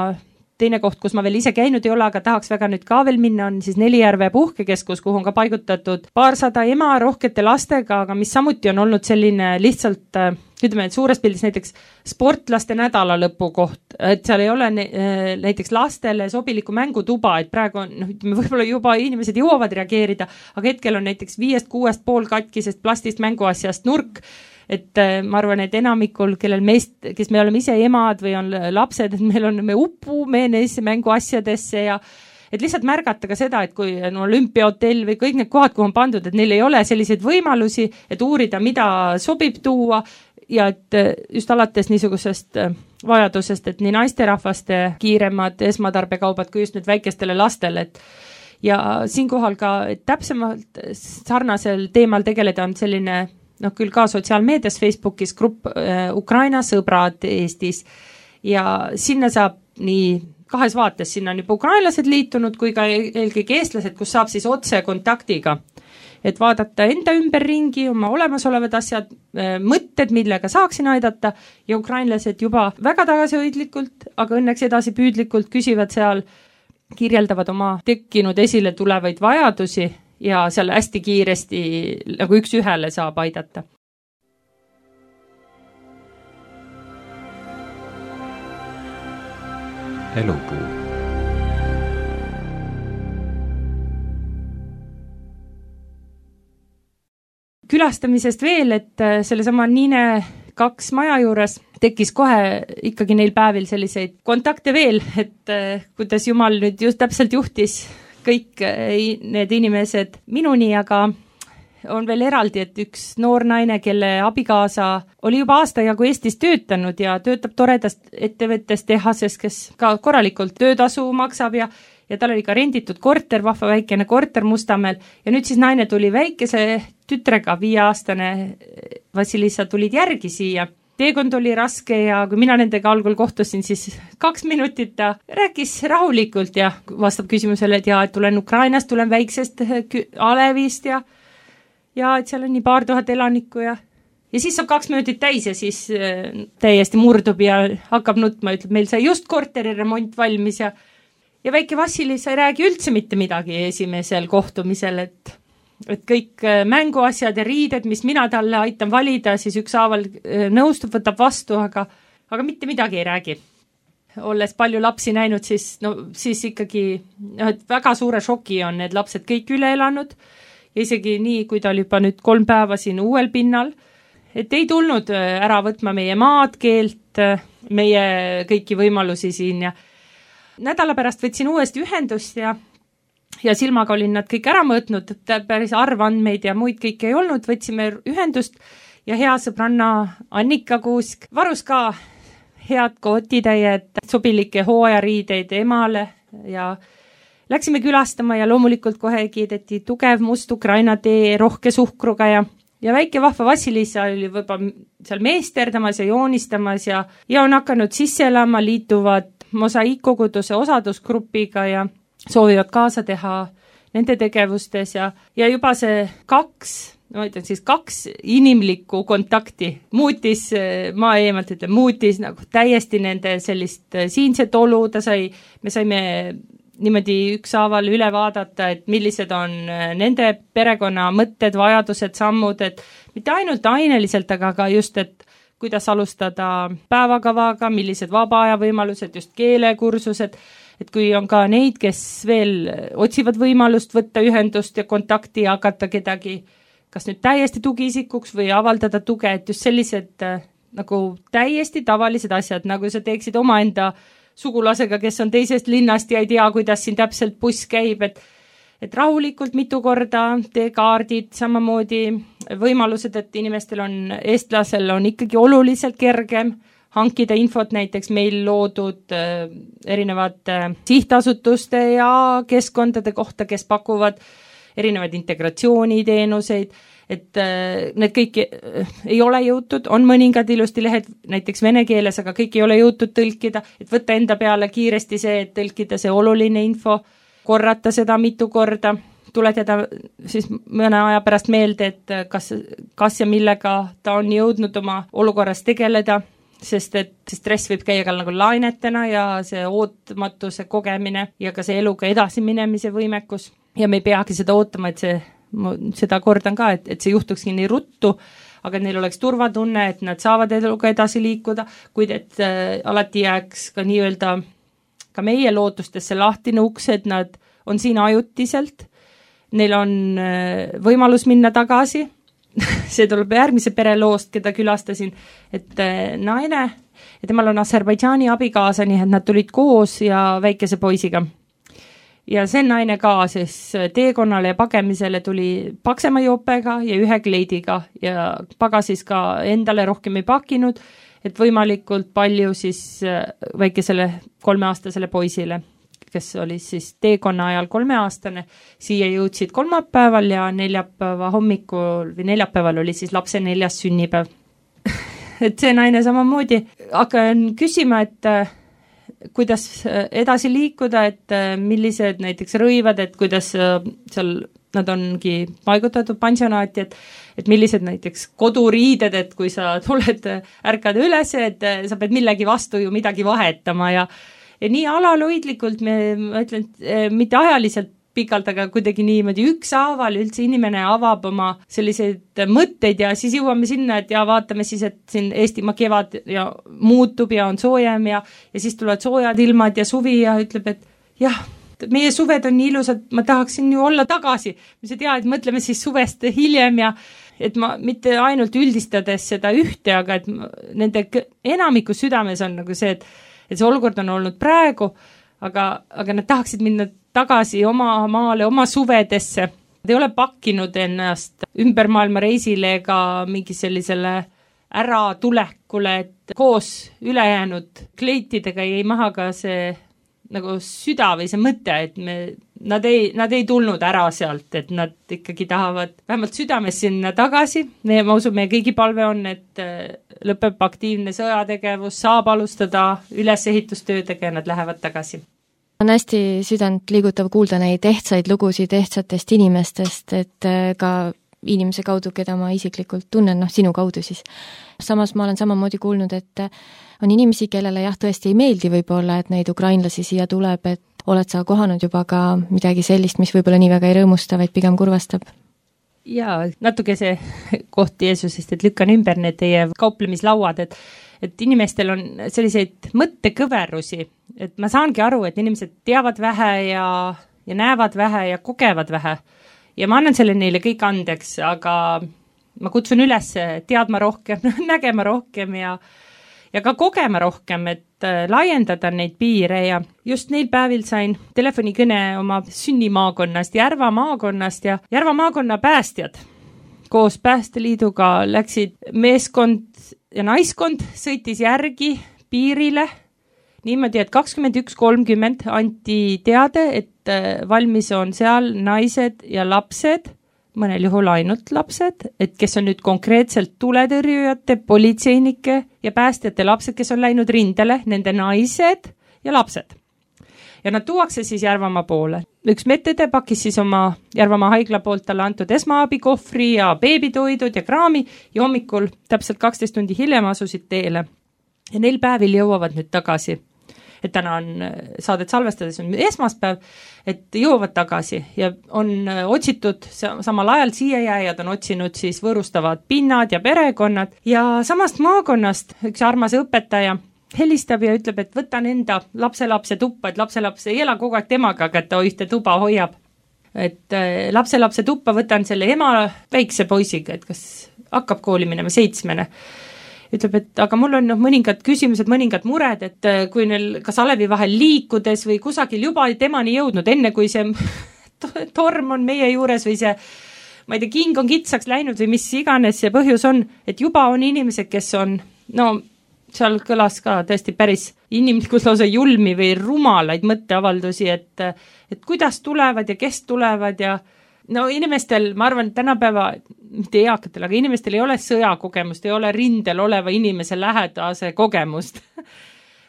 teine koht, kus ma veel ise käinud ei ole, aga tahaks väga nüüd ka veel minna, on siis Nelijärve puhkekeskus, kuhu on ka paigutatud paarsada ema rohkete lastega, aga mis samuti on olnud selline lihtsalt, ütleme, et suures pildis näiteks sportlaste nädalalõpu koht, et seal ei ole näiteks lastele sobiliku mängutuba, et praegu on, noh, ütleme, võib-olla juba inimesed jõuavad reageerida, aga hetkel on näiteks viiest kuuest pool katkisest plastist mänguasjast nurk, et ma arvan, et enamikul, kellel meist, kes me oleme ise emad või on lapsed, et meil on, me upume neisse mänguasjadesse ja et lihtsalt märgata ka seda, et kui on olümpiahotell või kõik need kohad, kuhu on pandud, et neil ei ole selliseid võimalusi, et uurida, mida sobib tuua ja et just alates niisugusest vajadusest, et nii naisterahvaste kiiremad esmatarbekaubad kui just nüüd väikestele lastele, et ja siinkohal ka et täpsemalt sarnasel teemal tegeleda on selline noh, küll ka sotsiaalmeedias Facebookis grupp äh, Ukraina sõbrad Eestis ja sinna saab nii kahes vaates, sinna on juba ukrainlased liitunud kui ka eelkõige eestlased, kus saab siis otse kontaktiga, et vaadata enda ümberringi, oma olemasolevad asjad, äh, mõtted, millega saaksin aidata ja ukrainlased juba väga tagasihoidlikult, aga õnneks edasi püüdlikult küsivad seal, kirjeldavad oma tekkinud esile tulevaid vajadusi ja seal hästi kiiresti nagu üks ühele saab aidata. Elupuu. Külastamisest veel, et sellesama Niine kaks maja juures tekkis kohe ikkagi neil päevil selliseid kontakte veel, et kuidas Jumal nüüd just täpselt juhtis kõik need inimesed minuni, aga on veel eraldi, et üks noor naine, kelle abikaasa oli juba aasta jagu Eestis töötanud ja töötab toredast ettevõttes tehases, kes ka korralikult töötasu maksab ja, ja tal oli ka renditud korter, vahva väikene korter Mustamäel ja nüüd siis naine tuli väikese tütrega, viieaastane Vassilissa tulid järgi siia. Teekond oli raske ja kui mina nendega algul kohtusin, siis kaks minutit ta rääkis rahulikult ja vastab küsimusele, et, ja, et tulen Ukrainast, tulen väiksest Alevist ja, ja et seal on nii paar tuhat elanikku ja, ja siis saab kaks minutit täis ja siis äh, täiesti murdub ja hakkab nutma, ütleb, meil sai just korteri remont valmis ja, ja väike Vassilissa ei räägi üldse mitte midagi esimesel kohtumisel, et et kõik mänguasjad ja riided, mis mina talle aitan valida, siis ükshaaval nõustub, võtab vastu, aga, aga mitte midagi ei räägi. Olles palju lapsi näinud, siis, no, siis ikkagi no, et väga suure šoki on need lapsed kõik üle elanud ja isegi nii, kui ta oli juba nüüd kolm päeva siin uuel pinnal, et ei tulnud ära võtma meie maad, keelt, meie kõiki võimalusi siin ja nädala pärast võtsin uuesti ühendust ja ja silmaga olin nad kõik ära mõõtnud, päris arvandmeid ja muid kõike ei olnud, võtsime ühendust ja hea sõbranna Annika Kuusk varus ka head kotitäied, sobilikke hooajariideid emale ja läksime külastama ja loomulikult kohe kiideti tugev must Ukraina tee rohke suhkruga ja, ja väike vahva Vassilissa oli võib-olla seal meesterdamas ja joonistamas ja, ja on hakanud sisse elama, liituvad mosaiikkoguduse osadusgrupiga ja soovivad kaasa teha nende tegevustes ja, ja juba see kaks, ma ütlen siis kaks inimlikku kontakti muutis, ma eemalt ütlen, muutis nagu täiesti nende sellist siinset olu, ta sai, me saime niimoodi ükshaaval üle vaadata, et millised on nende perekonna mõtted, vajadused, sammud, et mitte ainult aineliselt, aga ka just, et kuidas alustada päevakavaga, millised vaba aja võimalused, just keelekursused, et kui on ka neid, kes veel otsivad võimalust võtta ühendust ja kontakti ja hakata kedagi kas nüüd täiesti tugiisikuks või avaldada tuge, et just sellised nagu täiesti tavalised asjad, nagu sa teeksid omaenda sugulasega, kes on teisest linnast ja ei tea, kuidas siin täpselt buss käib, et et rahulikult mitu korda tee kaardid, samamoodi võimalused, et inimestel on, eestlasel on ikkagi oluliselt kergem hankida infot näiteks meil loodud äh, erinevate sihtasutuste ja keskkondade kohta, kes pakuvad erinevaid integratsiooniteenuseid, et need kõik ei ole jõutud, on mõningad ilusti lehed näiteks vene keeles, aga kõik ei ole jõutud tõlkida, et võtta enda peale kiiresti see, et tõlkida see oluline info, korrata seda mitu korda, tuletada siis mõne aja pärast meelde, et kas, kas ja millega ta on jõudnud oma olukorras tegeleda, sest et see stress võib käia ka nagu lainetena ja see ootamatuse kogemine ja ka see eluga edasi minemise võimekus ja me ei peagi seda ootama, et see ma seda kordan ka, et, et see juhtukski nii ruttu, aga neil oleks turvatunne, et nad saavad eluga edasi liikuda, kuid et äh, alati jääks ka nii-öelda ka meie lootustesse lahtine uks, et nad on siin ajutiselt, neil on äh, võimalus minna tagasi, see tuleb järgmise pereloost, keda külastasin, et äh, naine ja temal on Aserbaidžaani abikaasa, nii et nad tulid koos ja väikese poisiga. Ja see naine ka siis teekonnale ja pagemisele tuli paksema jopega ja ühe kleidiga ja pagasis ka endale rohkem ei pakinud, et võimalikult palju siis väikesele kolmeaastasele poisile, kes oli siis teekonna ajal kolmeaastane, siia jõudsid kolmapäeval ja neljapäeva hommikul või neljapäeval oli siis lapse neljas sünnipäev. Et see naine samamoodi hakkan küsima, et kuidas edasi liikuda, et millised näiteks rõivad, et kuidas seal nad ongi paigutatud pansionaati, et, et millised näiteks koduriided, et kui sa tuled, ärkad üles, et sa pead millegi vastu ju midagi vahetama ja, ja nii alalhoidlikult, me, ma ütlen, mitte ajaliselt pikalt, aga kuidagi niimoodi ükshaaval üldse inimene avab oma selliseid mõtteid ja siis jõuame sinna, et ja vaatame siis, et siin Eestimaa kevad ja muutub ja on soojem ja, ja siis tulevad soojad ilmad ja suvi ja ütleb, et jah, meie suved on nii ilusad, ma tahaksin ju olla tagasi. Me see tea, et mõtleme siis suvest hiljem ja et ma mitte ainult üldistades seda ühte, aga et nende enamiku südames on nagu see, et, et see olukord on olnud praegu, aga, aga nad tahaksid minna tagasi oma maale, oma suvedesse. Nad ei ole pakkinud ennast ümber maailma reisile ega mingi sellisele äratulekule, et koos ülejäänud kleitidega jäi maha ka see nagu süda või see mõte, et me, nad, ei, nad ei tulnud ära sealt, et nad ikkagi tahavad vähemalt südames sinna tagasi. Me, ma usun, meie kõigi palve on, et lõpeb aktiivne sõjategevus, saab alustada ülesehitustöödega ja nad lähevad tagasi. On hästi südant liigutav kuulda neid ehtsaid lugusid ehtsatest inimestest, et ka inimese kaudu, keda ma isiklikult tunnen, noh sinu kaudu siis. Samas ma olen samamoodi kuulnud, et on inimesi, kellele jah, tõesti ei meeldi võib-olla, et neid ukrainlasi siia tuleb, et oled sa kohanud juba ka midagi sellist, mis võib-olla nii väga ei rõõmusta, vaid pigem kurvastab? Jaa, natuke see koht Jeesusest, et lükkan ümber need teie kauplemislauad, et et inimestel on selliseid mõttekõverusi, et ma saangi aru, et inimesed teavad vähe ja, ja näevad vähe ja kogevad vähe. Ja ma annan selle neile kõik andeks, aga ma kutsun üles teadma rohkem, nägema rohkem ja, ja ka kogema rohkem, et laiendada neid piire ja just neil päevil sain telefonikõne oma sünnimaakonnast, Järva maakonnast ja Järva maakonna päästjad koos Päästeliiduga läksid meeskond ja naiskond sõitis järgi piirile niimoodi, et kakskümmend üks kolmkümmend anti teade, et valmis on seal naised ja lapsed, mõnel juhul ainult lapsed, et kes on nüüd konkreetselt tuletõrjujate, politseinike ja päästjate lapsed, kes on läinud rindele, nende naised ja lapsed. Ja nad tuuakse siis Järvamaa poole. Üks medõde pakis siis oma Järvamaa haigla poolt talle antud esmaabikohvri ja beebitoidud ja kraami ja hommikul täpselt kaksteist tundi hiljem asusid teele. Ja neil päevil jõuavad nüüd tagasi. Et täna on saadet salvestades on esmaspäev, et jõuavad tagasi ja on otsitud samal ajal siia jääjad on otsinud siis võõrustavad pinnad ja perekonnad ja samast maakonnast üks armas õpetaja helistab ja ütleb, et võtan enda lapselapse tuppa, et lapselaps ei ela kogu aeg temaga, aga ta ühte tuba hoiab. Et lapselapse tuppa võtan selle ema väikse poisiga, et kas hakkab kooli minema seitsmene. Ütleb, et aga mul on no, mõningad küsimused, mõningad mured, et kui neil kas alevi vahel liikudes või kusagil juba temani jõudnud, enne kui see torm on meie juures või see, ma ei tea, king on kitsaks läinud või mis iganes see põhjus on, et juba on inimesed, kes on, no seal kõlas ka tõesti päris inimlikult lausa julmi või rumalaid mõtteavaldusi, et, et kuidas tulevad ja kes tulevad ja no inimestel, ma arvan, tänapäeva, mitte eakatel, aga inimestel ei ole sõjakogemust, ei ole rindel oleva inimese lähedase kogemust.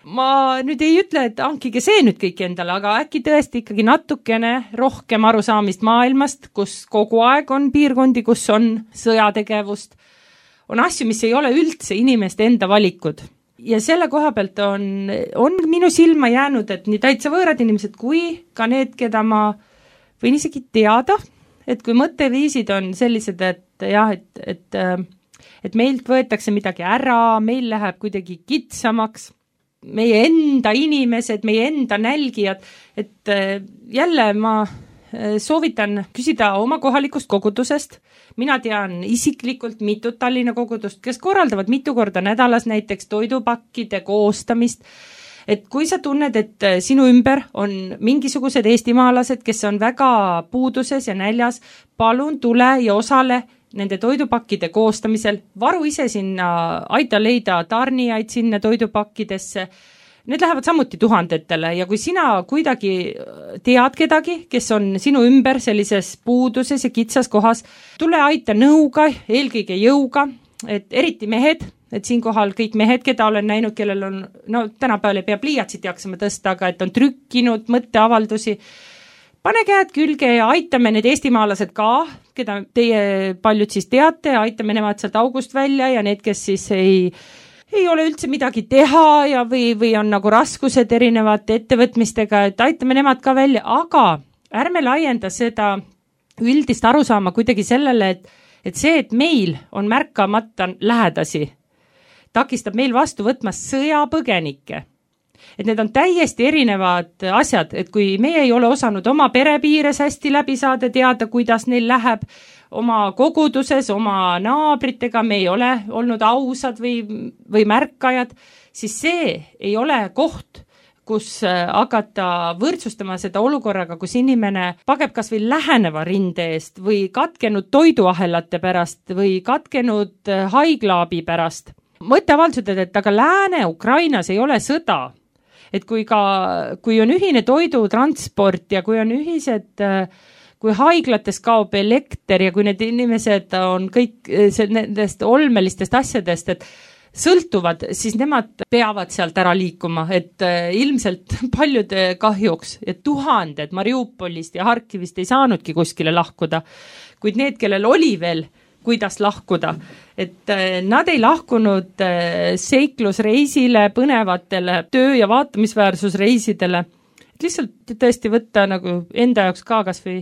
Ma nüüd ei ütle, et hankige see nüüd kõik endale, aga äkki tõesti ikkagi natukene rohkem arusaamist maailmast, kus kogu aeg on piirkondi, kus on sõjategevust, on asju, mis ei ole üldse inimeste enda valikud. Ja selle koha pealt on, on minu silma jäänud, et nii täitsa võõrad inimesed kui ka need, keda ma võin isegi teada, et kui mõtteviisid on sellised, et jah, et, et, et meilt võetakse midagi ära, meil läheb kuidagi kitsamaks, meie enda inimesed, meie enda nälgijad, et jälle ma soovitan küsida oma kohalikust kogudusest. Mina tean isiklikult mitut Tallinna kogudust, kes korraldavad mitu korda nädalas näiteks toidupakkide koostamist, et kui sa tunned, et sinu ümber on mingisugused eestimaalased, kes on väga puuduses ja näljas, palun tule ja osale nende toidupakkide koostamisel, varu ise sinna, aita leida tarnijaid sinna toidupakkidesse. Need lähevad samuti tuhandetele ja kui sina kuidagi tead kedagi, kes on sinu ümber sellises puuduses ja kitsas kohas, tule aita nõuga, eelkõige jõuga, et eriti mehed, et siinkohal kõik mehed, keda olen näinud, kellel on, no tänapäeval ei pea pliiatsit jaksama tõsta, aga et on trükkinud mõtteavaldusi, pane käed külge ja aitame need eestimaalased ka, keda teie paljud siis teate, aitame nemad sealt august välja ja need, kes siis ei, ei ole üldse midagi teha ja või, või on nagu raskused erinevate ettevõtmistega, et aitame nemad ka välja, aga ärme laienda seda üldist arusaama kuidagi sellele, et, et see, et meil on märkamata lähedasi, takistab meil vastu võtmas sõjapõgenikke. Et need on täiesti erinevad asjad, et kui meie ei ole osanud oma perepiires hästi läbi saada, teada, kuidas neil läheb oma koguduses, oma naabritega, me ei ole olnud ausad või, või märkajad, siis see ei ole koht, kus hakata võrdsustama seda olukorraga, kus inimene pageb kas või läheneva rinde eest või katkenud toiduahelate pärast või katkenud haiglaabi pärast. Mõtteavaldused, et aga Lääne-Ukrainas ei ole sõda. Et kui, ka, kui on ühine toidutransport ja kui on ühised, kui haiglates kaob elekter ja kui need inimesed on kõik nendest olmelistest asjadest, et sõltuvad, siis nemad peavad sealt ära liikuma, et ilmselt paljude kahjuks, et tuhanded Mariupolist ja Harkivist ei saanudki kuskile lahkuda, kuid need, kellel oli veel kuidas lahkuda, et nad ei lahkunud seiklusreisile, põnevatele töö- ja vaatamisväärsusreisidele, et lihtsalt tõesti võtta nagu enda jaoks ka kas või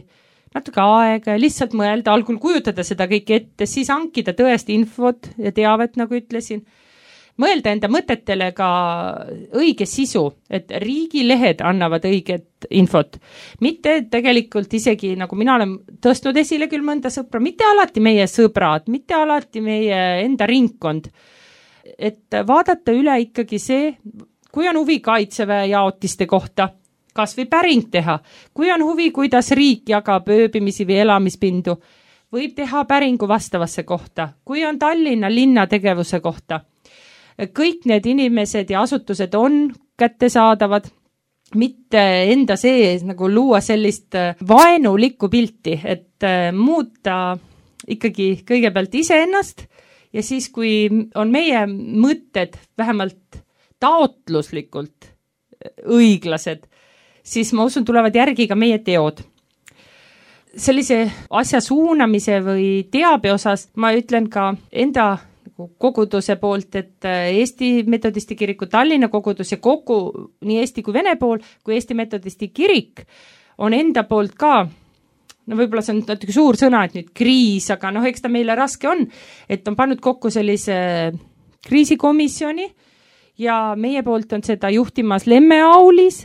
natuke aega ja lihtsalt mõelda, algul kujutada seda kõik ette, siis hankida tõesti infot ja teavet, nagu ütlesin, mõelda enda mõtetele ka õige sisu, et riigilehed annavad õiget infot. Mitte tegelikult isegi, nagu mina olen tõstnud esile küll mõnda sõpra, mitte alati meie sõbrad, mitte alati meie enda ringkond. Et vaadata üle ikkagi see, kui on huvi kaitseväe jaotiste kohta, kas või päring teha, kui on huvi, kuidas riik jagab ööbimisi või elamispindu, võib teha päringu vastavasse kohta, kui on Tallinna linna tegevuse kohta. Kõik need inimesed ja asutused on kättesaadavad, mitte enda sees nagu luua sellist vaenulikku pilti, et muuta ikkagi kõigepealt iseennast ja siis, kui on meie mõtted vähemalt taotluslikult õiglased, siis ma usun, tulevad järgi ka meie teod. Sellise asja suunamise või teabe osas ma ütlen ka enda koguduse poolt, et Eesti Metodisti kiriku Tallinna kogudus ja kogu nii Eesti kui Vene pool, kui Eesti Metodisti kirik on enda poolt ka, no võib-olla see on natuke suur sõna, et nüüd kriis, aga noh, eks ta meile raske on, et on pannud kokku sellise kriisikomisjoni ja meie poolt on seda juhtimas Lemme Aulis,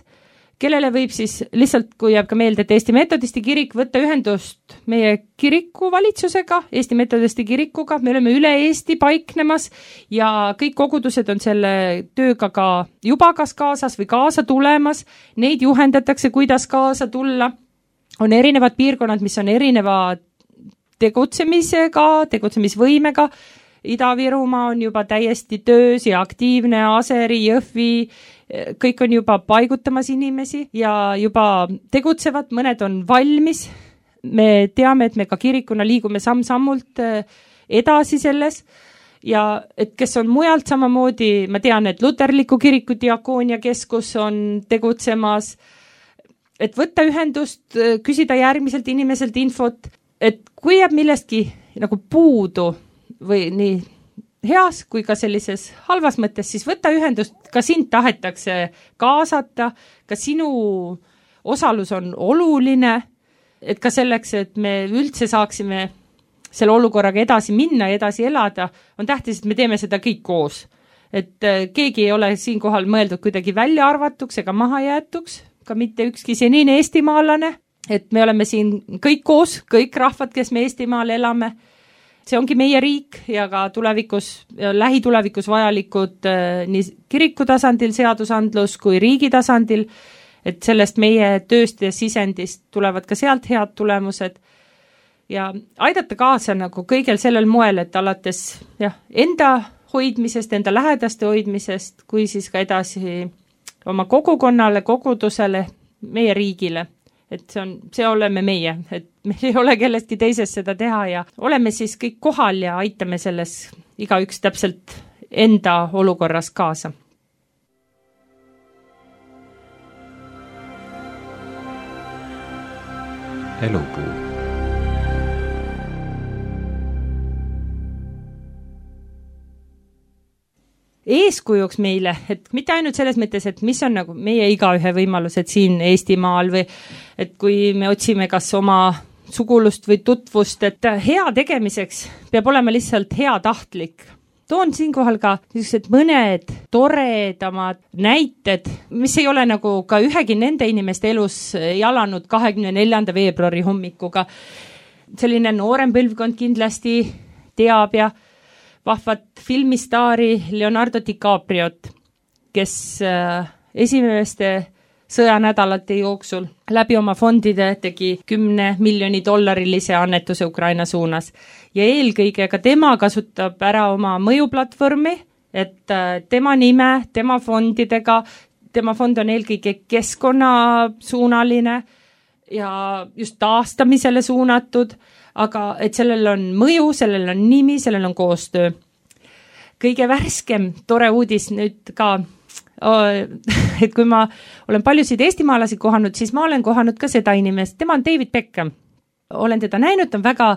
kellele võib siis lihtsalt, kui jääb ka meelde, et Eesti Metodisti kirik võtta ühendust meie kiriku valitsusega, Eesti Metodisti kirikuga, me oleme üle Eesti paiknemas ja kõik kogudused on selle tööga ka juba kas kaasas või kaasa tulemas, neid juhendatakse, kuidas kaasa tulla, on erinevad piirkonnad, mis on erineva tegutsemisega, tegutsemisvõimega, Ida-Virumaa on juba täiesti töös ja aktiivne, Aseri, Jõhvi, kõik on juba paigutamas inimesi ja juba tegutsevad, mõned on valmis me teame, et me ka kirikuna liigume samm-sammult edasi selles ja et kes on mujalt samamoodi, ma tean, et Luterliku kiriku diakoonia keskus on tegutsemas, et võtta ühendust, küsida järgmiselt inimeselt infot, et kui jääb millestki nagu puudu või nii heas kui ka sellises halvas mõttes, siis võtta ühendust, ka sind tahetakse kaasata, ka sinu osalus on oluline, et ka selleks, et me üldse saaksime selle olukorraga edasi minna ja edasi elada, on tähtis, et me teeme seda kõik koos. Et keegi ei ole siinkohal mõeldud kuidagi välja arvatuks ega maha jäetuks, ka mitte ükski senine eestimaalane, et me oleme siin kõik koos, kõik rahvad, kes me Eestimaal elame. See ongi meie riik ja ka tulevikus, lähitulevikus vajalikud nii kiriku tasandil seadusandlus kui riigi tasandil, et sellest meie tööst ja sisendist tulevad ka sealt head tulemused ja aidata kaasa nagu kõigel sellel moel, et alates jah, enda hoidmisest, enda lähedaste hoidmisest, kui siis ka edasi oma kogukonnale, kogudusele, meie riigile. Et see on, see oleme meie, et meil ei ole kellestki teisest seda teha ja oleme siis kõik kohal ja aitame selles igaüks täpselt enda olukorras kaasa. Elupuu. Eeskujuks meile, et mitte ainult selles mõttes, et mis on nagu meie igaühe võimalused siin Eestimaal või et kui me otsime kas oma sugulust või tutvust, et hea tegemiseks peab olema lihtsalt hea tahtlik. Toon siinkohal ka niisugused mõned toredamad näited, mis ei ole nagu ka ühegi nende inimeste elus jalanud kahekümne neljanda veebruari hommikuga. Selline noorem põlvkond kindlasti teab ja vahvat filmistaari Leonardo DiCapriot, kes esimeste sõjanädalate jooksul läbi oma fondide tegi kümne miljoni dollarilise annetuse Ukraina suunas. Ja eelkõige ka tema kasutab ära oma mõjuplatvormi, et tema nime, tema fondidega, tema fond on eelkõige keskkonnasuunaline ja just taastamisele suunatud, aga et sellel on mõju, sellel on nimi, sellel on koostöö. Kõige värskem tore uudis nüüd ka, et kui ma olen paljusid eestimaalasi kohanud, siis ma olen kohanud ka seda inimest, tema on David Beckham. Olen teda näinud, on väga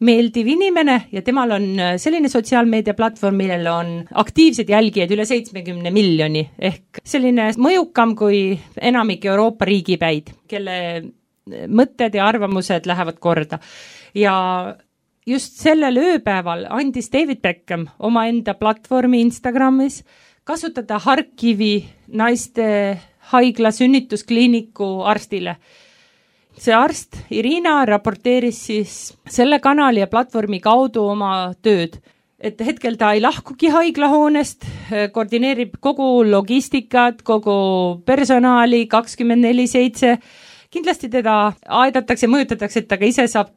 meeldiv inimene ja temal on selline sotsiaalmeedia platvorm, millel on aktiivsed jälgijad üle seitsmekümne miljoni, ehk selline mõjukam kui enamik Euroopa riigipäid, kelle mõtted ja arvamused lähevad korda. Ja just sellel ööpäeval andis David Beckham oma enda platvormi Instagramis kasutada Harkivi naiste haigla sünnituskliiniku arstile. See arst, Irina, raporteeris siis selle kanali ja platvormi kaudu oma tööd. Et hetkel ta ei lahkugi haiglahoonest, koordineerib kogu logistikat, kogu personaali kakskümmend neli seitse. Kindlasti teda aidatakse, mõjutatakse, et ta ka ise saab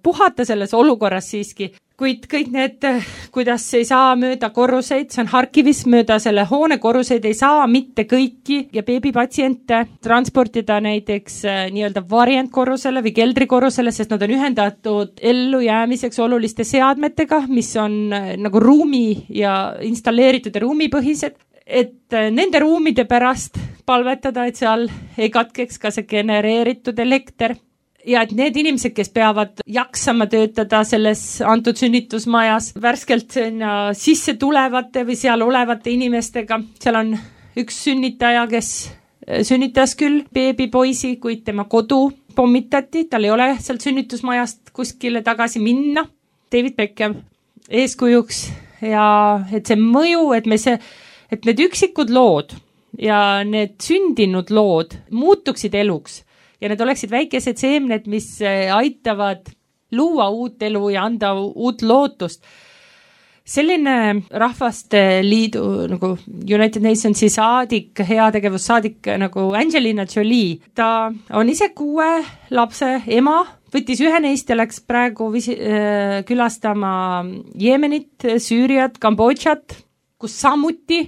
puhata selles olukorras siiski, kuid kõik need, kuidas ei saa mööda korruseid, see on Harkivis mööda selle hoone korruseid, ei saa mitte kõiki ja beebipatsiente transportida näiteks nii-öelda variantkorrusele või keldrikorrusele, sest nad on ühendatud ellujäämiseks oluliste seadmetega, mis on nagu ruumi ja installeeritud ja ruumipõhised, et nende ruumide pärast palvetada, et seal ei katkeks ka see genereeritud elekter ja et need inimesed, kes peavad jaksama töötada selles antud sünnitusmajas värskelt sinna sisse tulevate või seal olevate inimestega, seal on üks sünnitaja, kes sünnitas küll beebipoisi, kuid tema kodu pommitati, tal ei ole sealt sünnitusmajast kuskile tagasi minna. David Beckham eeskujuks ja et see mõju, et me see et need üksikud lood ja need sündinud lood muutuksid eluks ja need oleksid väikesed seemned, mis aitavad luua uut elu ja anda uut lootust. Selline rahvaste liidu nagu United Nationsi saadik, heategevussaadik nagu Angelina Jolie, ta on ise kuue lapse ema, võttis ühe neist ja läks praegu visi, äh, külastama Jeemenit, Süüriat, Kambodžat, kus samuti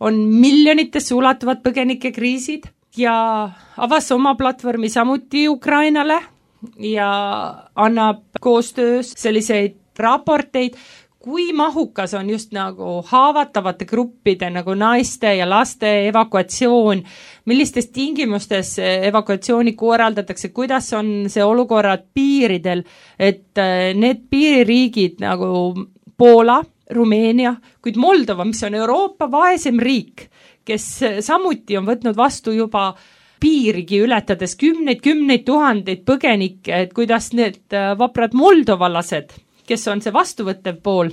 on miljonitesse ulatuvad põgenikekriisid ja avas oma platvormi samuti Ukrainale, ja annab koostöös selliseid raporteid, kui mahukas on just nagu haavatavate gruppide nagu naiste ja laste evakuatsioon, millistes tingimustes evakuatsiooni korraldatakse, kuidas on see olukorrad piiridel, et need piiririigid nagu Poola, Rumeenia, kuid Moldova, mis on Euroopa vaesem riik, kes samuti on võtnud vastu juba piirigi ületades kümneid, kümneid tuhandeid põgenikke, et kuidas need vaprad moldovalased, kes on see vastuvõttev pool,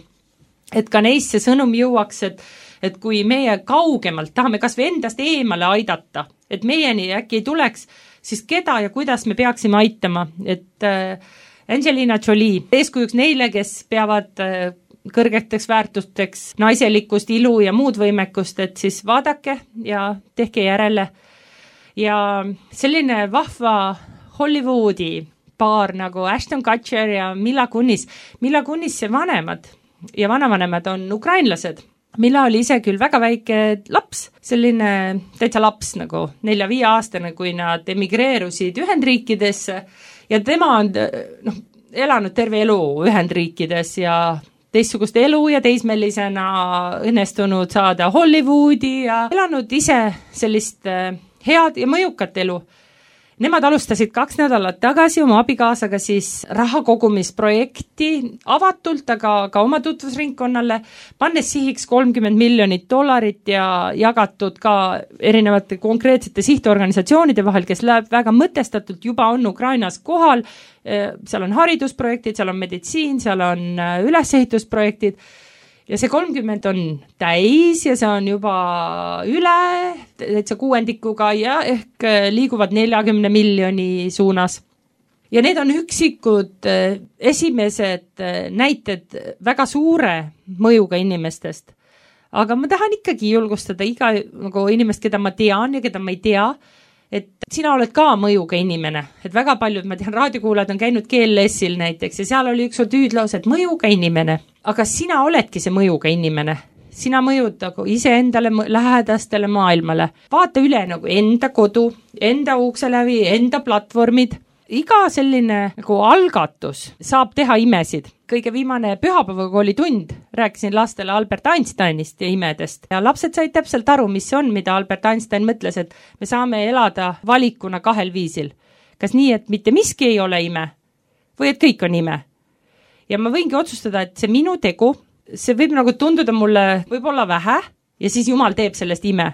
et ka neist see sõnum jõuaks, et, et kui meie kaugemalt tahame kas või endast eemale aidata, et meieni äkki ei tuleks, siis keda ja kuidas me peaksime aitama, et äh, Angelina Jolie, eeskujuks neile, kes peavad äh, kõrgeteks väärtusteks naiselikkust, ilu ja muud võimekust, et siis vaadake ja tehke järele. Ja selline vahva Hollywoodi paar nagu Ashton Kutcher ja Mila Kunis. Mila Kunisse vanemad ja vanavanemad on ukrainlased. Mila oli ise küll väga väike laps, selline täitsa laps nagu nelja-viie aastane, kui nad emigreerusid Ühendriikidesse ja tema on noh, elanud terve elu Ühendriikides ja teistsugust elu ja teismelisena õnnestunud saada Hollywoodi ja elanud ise sellist head ja mõjukat elu. Nemad alustasid kaks nädalat tagasi oma abikaasaga siis rahakogumisprojekti avatult, aga ka oma tutvusringkonnale, pannes sihiks kolmkümmend miljonit dollarit ja jagatud ka erinevate konkreetsete sihtorganisatsioonide vahel, kes läheb väga mõtestatult, juba on Ukrainas kohal, seal on haridusprojektid, seal on meditsiin, seal on ülesehitusprojektid, ja see kolmkümmend on täis ja see on juba üle, täitsa kuuendikuga ja ehk liiguvad neljakümne miljoni suunas. Ja need on üksikud esimesed näited väga suure mõjuga inimestest. Aga ma tahan ikkagi julgustada iga nagu inimest, keda ma tean ja keda ma ei tea, et sina oled ka mõjuga inimene, et väga paljud, ma tean, raadiokuulajad on käinud G L S-il näiteks ja seal oli üks tüüdlaus, et mõjuga inimene, aga sina oledki see mõjuga inimene, sina mõjud nagu iseendale, lähedastele maailmale, vaata üle nagu enda kodu, enda ukse läbi, enda platvormid, iga selline nagu algatus saab teha imesid. Kõige viimane pühapäevaga oli tund, rääkisin lastele Albert Einsteinist ja imedest ja lapsed said täpselt aru, mis on, mida Albert Einstein mõtles, et me saame elada valikuna kahel viisil. Kas nii, et mitte miski ei ole ime või et kõik on ime. Ja ma võingi otsustada, et see minu tegu, see võib nagu tunduda mulle võib-olla vähe ja siis Jumal teeb sellest ime.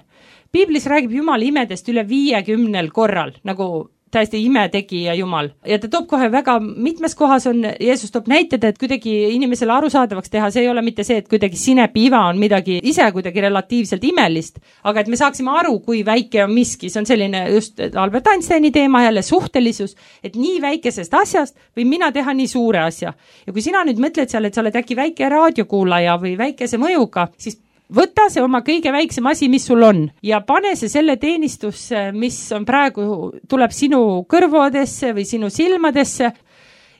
Piiblis räägib Jumal imedest üle viiekümnel korral, nagu täiesti imetegija Jumal. Ja ta toob kohe väga mitmes kohas on, Jeesus toob näited, et kuidagi inimesele arusaadavaks teha, see ei ole mitte see, et kuidagi sinepiiva on midagi ise kuidagi relatiivselt imelist, aga et me saaksime aru, kui väike on miski, see on selline just Albert Einsteini teema jälle suhtelisus, et nii väikesest asjast või mina teha nii suure asja. Ja kui sina nüüd mõtled seal, et sa oled äkki väike raadiokuulaja või väikese mõjuga, siis võta see oma kõige väiksem asi, mis sul on ja pane see selle teenistusse, mis on praegu, tuleb sinu kõrvodesse või sinu silmadesse.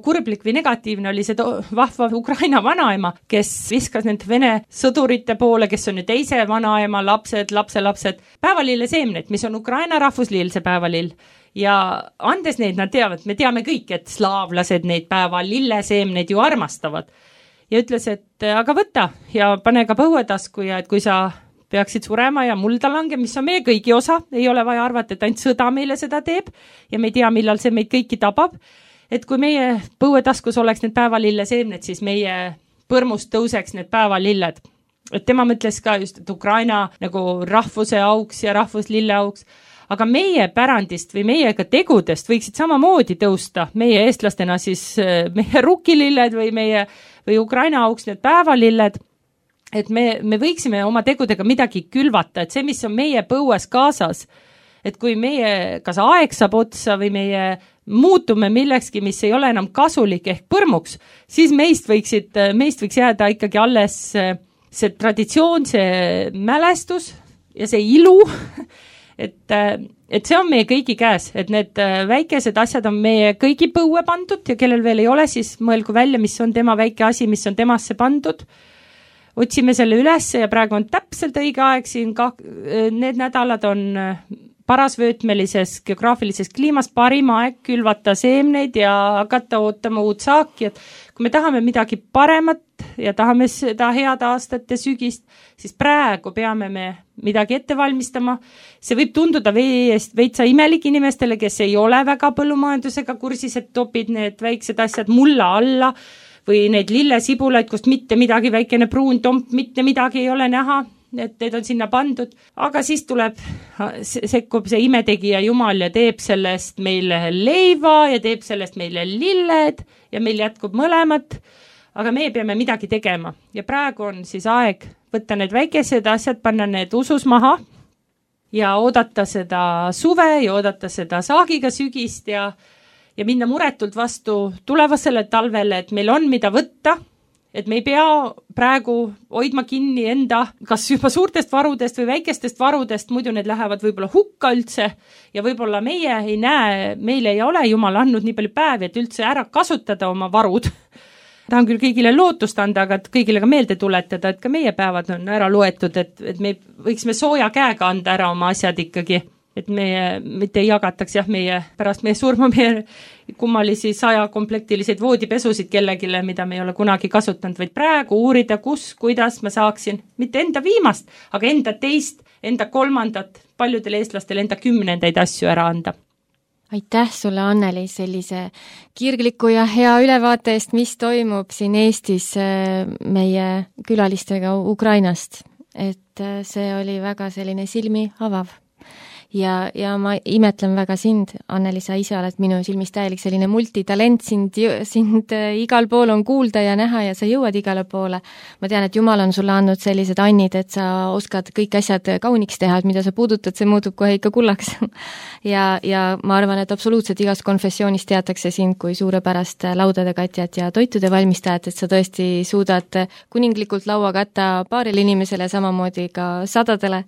Kurblik või negatiivne oli see vahva Ukraina vanaema, kes viskas need Vene sõdurite poole, kes on nüüd teise vanaema lapsed, lapselapsed, päevalille seemned, mis on Ukraina rahvusliil see päevalill. Ja andes neid, nad teavad, me teame kõik, et slaavlased neid päevalille seemneid ju armastavad. Ja ütles, et aga võta ja pane ka põuetasku ja et kui sa peaksid surema ja mulda lange, mis on meie kõigi osa, ei ole vaja arvata, et ainult sõda meile seda teeb ja me ei tea, millal see meid kõiki tabab, et kui meie põuetaskus oleks need päevalille seemned, siis meie põrmust tõuseks need päevalilled. Et tema mõtles ka just, et Ukraina nagu rahvuse auks ja rahvuslille auks, aga meie pärandist või meie ka tegudest võiksid samamoodi tõusta, meie eestlastena siis meie rukkililled või meie või Ukraina auks need päevalilled, et me, me võiksime oma tegudega midagi külvata, et see, mis on meie põues kaasas, et kui meie kas aeg saab otsa või meie muutume millekski, mis ei ole enam kasulik ehk põrmuks, siis meist võiksid, meist võiks jääda ikkagi alles see traditsioon, see mälestus ja see ilu, et, et see on meie kõigi käes, et need väikesed asjad on meie kõigi põue pandud ja kellel veel ei ole, siis mõelgu välja, mis on tema väike asi, mis on temasse pandud. Otsime selle üles ja praegu on täpselt õige aeg siin, ka, need nädalad on parasvöötmelises geograafilises kliimas parim aeg külvata seemneid ja hakata ootama uut saaki, et kui me tahame midagi paremat ja tahame seda head aastat ja sügist, siis praegu peame me midagi ette valmistama. See võib tunduda veest veitsa imelik inimestele, kes ei ole väga põllumajandusega kursis, et topid need väiksed asjad mulla alla või neid lillesibulaid, kust mitte midagi, väikene pruun tomp, mitte midagi ei ole näha, et need on sinna pandud. Aga siis tuleb, sekkub see imetegija Jumal ja teeb sellest meile leiva ja teeb sellest meile lilled ja meil jätkub mõlemat. Aga me peame midagi tegema ja praegu on siis aeg võtta need väikesed asjad, panna need usus maha ja oodata seda suve ja oodata seda saagiga sügist ja, ja minna muretult vastu tulevasele talvele, et meil on mida võtta, et me ei pea praegu hoidma kinni enda kas juba suurtest varudest või väikestest varudest, muidu need lähevad võib-olla hukka üldse ja võib-olla meie ei näe, meile ei ole Jumal andnud nii palju päevi, et üldse ära kasutada oma varud. Tahan küll kõigile lootust anda, aga kõigile ka meelde tuletada, et ka meie päevad on ära loetud, et, et me võiksime sooja käega anda ära oma asjad ikkagi, et meie mitte ei jagataks jah, meie pärast meie surma meie kummalisi saja komplektiliseid voodipesusid kellegile, mida me ei ole kunagi kasutanud, vaid praegu uurida, kus, kuidas ma saaksin mitte enda viimast, aga enda teist, enda kolmandat, paljudel eestlastel enda kümnendaid asju ära anda. Aitäh sulle, Anneli, sellise kirgliku ja hea ülevaate eest, mis toimub siin Eestis meie külalistega Ukrainast. Et see oli väga selline silmi avav. Ja, ja ma imetlen väga sind, Anneli, sa ise oled minu silmis täielik selline multitalent, sind, sind igal pool on kuulda ja näha ja sa jõuad igale poole. Ma tean, et Jumal on sulle andnud sellised annid, et sa oskad kõik asjad kauniks teha, et mida sa puudutad, see muutub kohe ikka kullaks. ja, ja ma arvan, et absoluutselt igas konfessioonis teatakse sind kui suurepärast laudade katjat ja toitude valmistajat, et sa tõesti suudad kuninglikult laua katta paaril inimesele, samamoodi ka sadadele.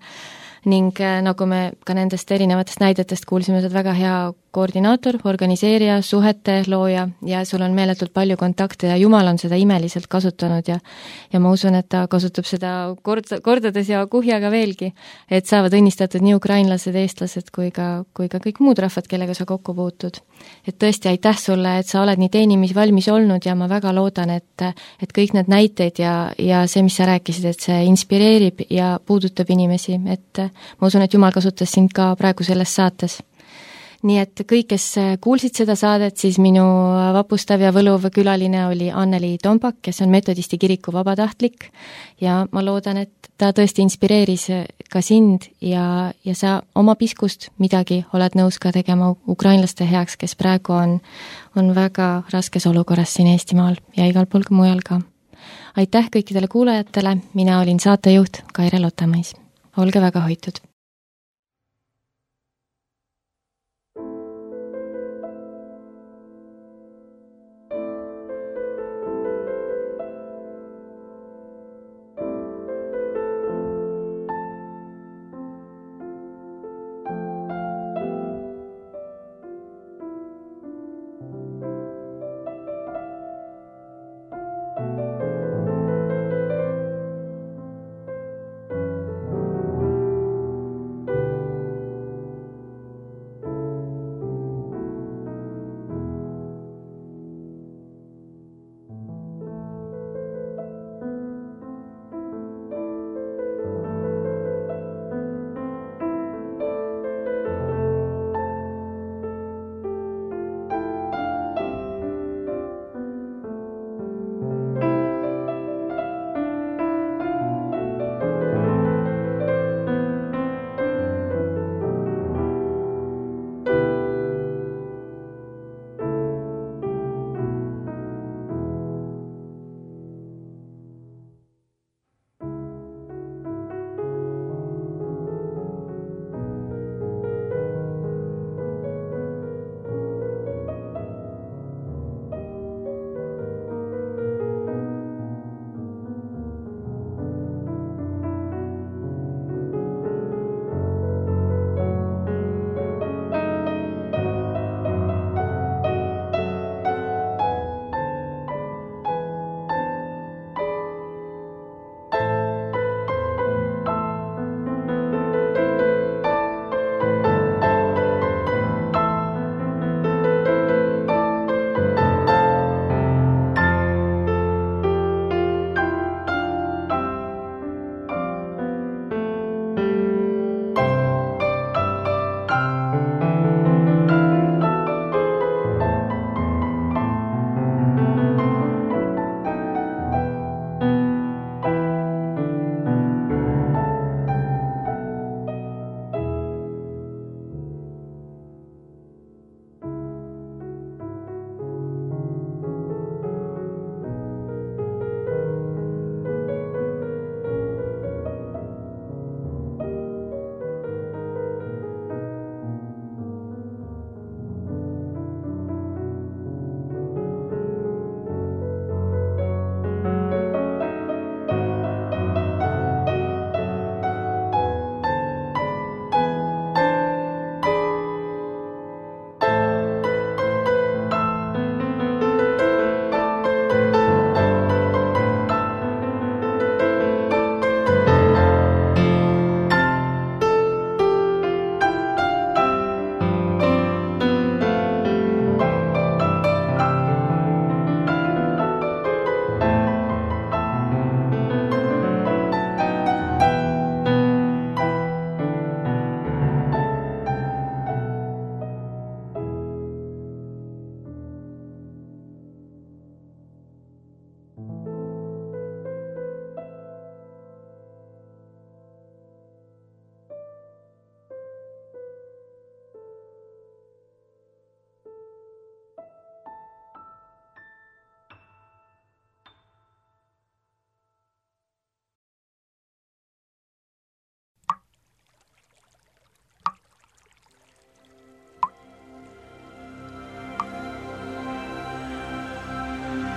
Ning nagu me ka nendest erinevatest näidetest kuulsime, sa oled väga hea koordinaator, organiseerija, suhete looja ja sul on meeletult palju kontakte ja Jumal on seda imeliselt kasutanud ja ja ma usun, et ta kasutab seda kord, kordades ja kuhjaga veelgi, et saavad õnnistatud nii ukrainlased, eestlased kui ka, kui ka kõik muud rahvad, kellega sa kokku puutud. Et tõesti aitäh sulle, et sa oled nii teenimisvalmis olnud ja ma väga loodan, et, et kõik need näiteid ja, ja see, mis sa rääkisid, et see inspireerib ja puudutab inimesi, et ma usun, et Jumal kasutas sind ka praegu selles saates. Nii et kõik, kes kuulsid seda saadet, siis minu vapustav ja võluv külaline oli Anneli Tompak, kes on metodisti kiriku vabatahtlik ja ma loodan, et ta tõesti inspireeris ka sind ja, ja sa oma piskust midagi oled nõus ka tegema ukrainlaste heaks, kes praegu on, on väga raskes olukorras siin Eestimaal ja igal pool mujal ka. Aitäh kõikidele kuulajatele, mina olin saatejuht Kaire Lotamais. Olge väga hoitud!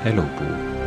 Elupuu.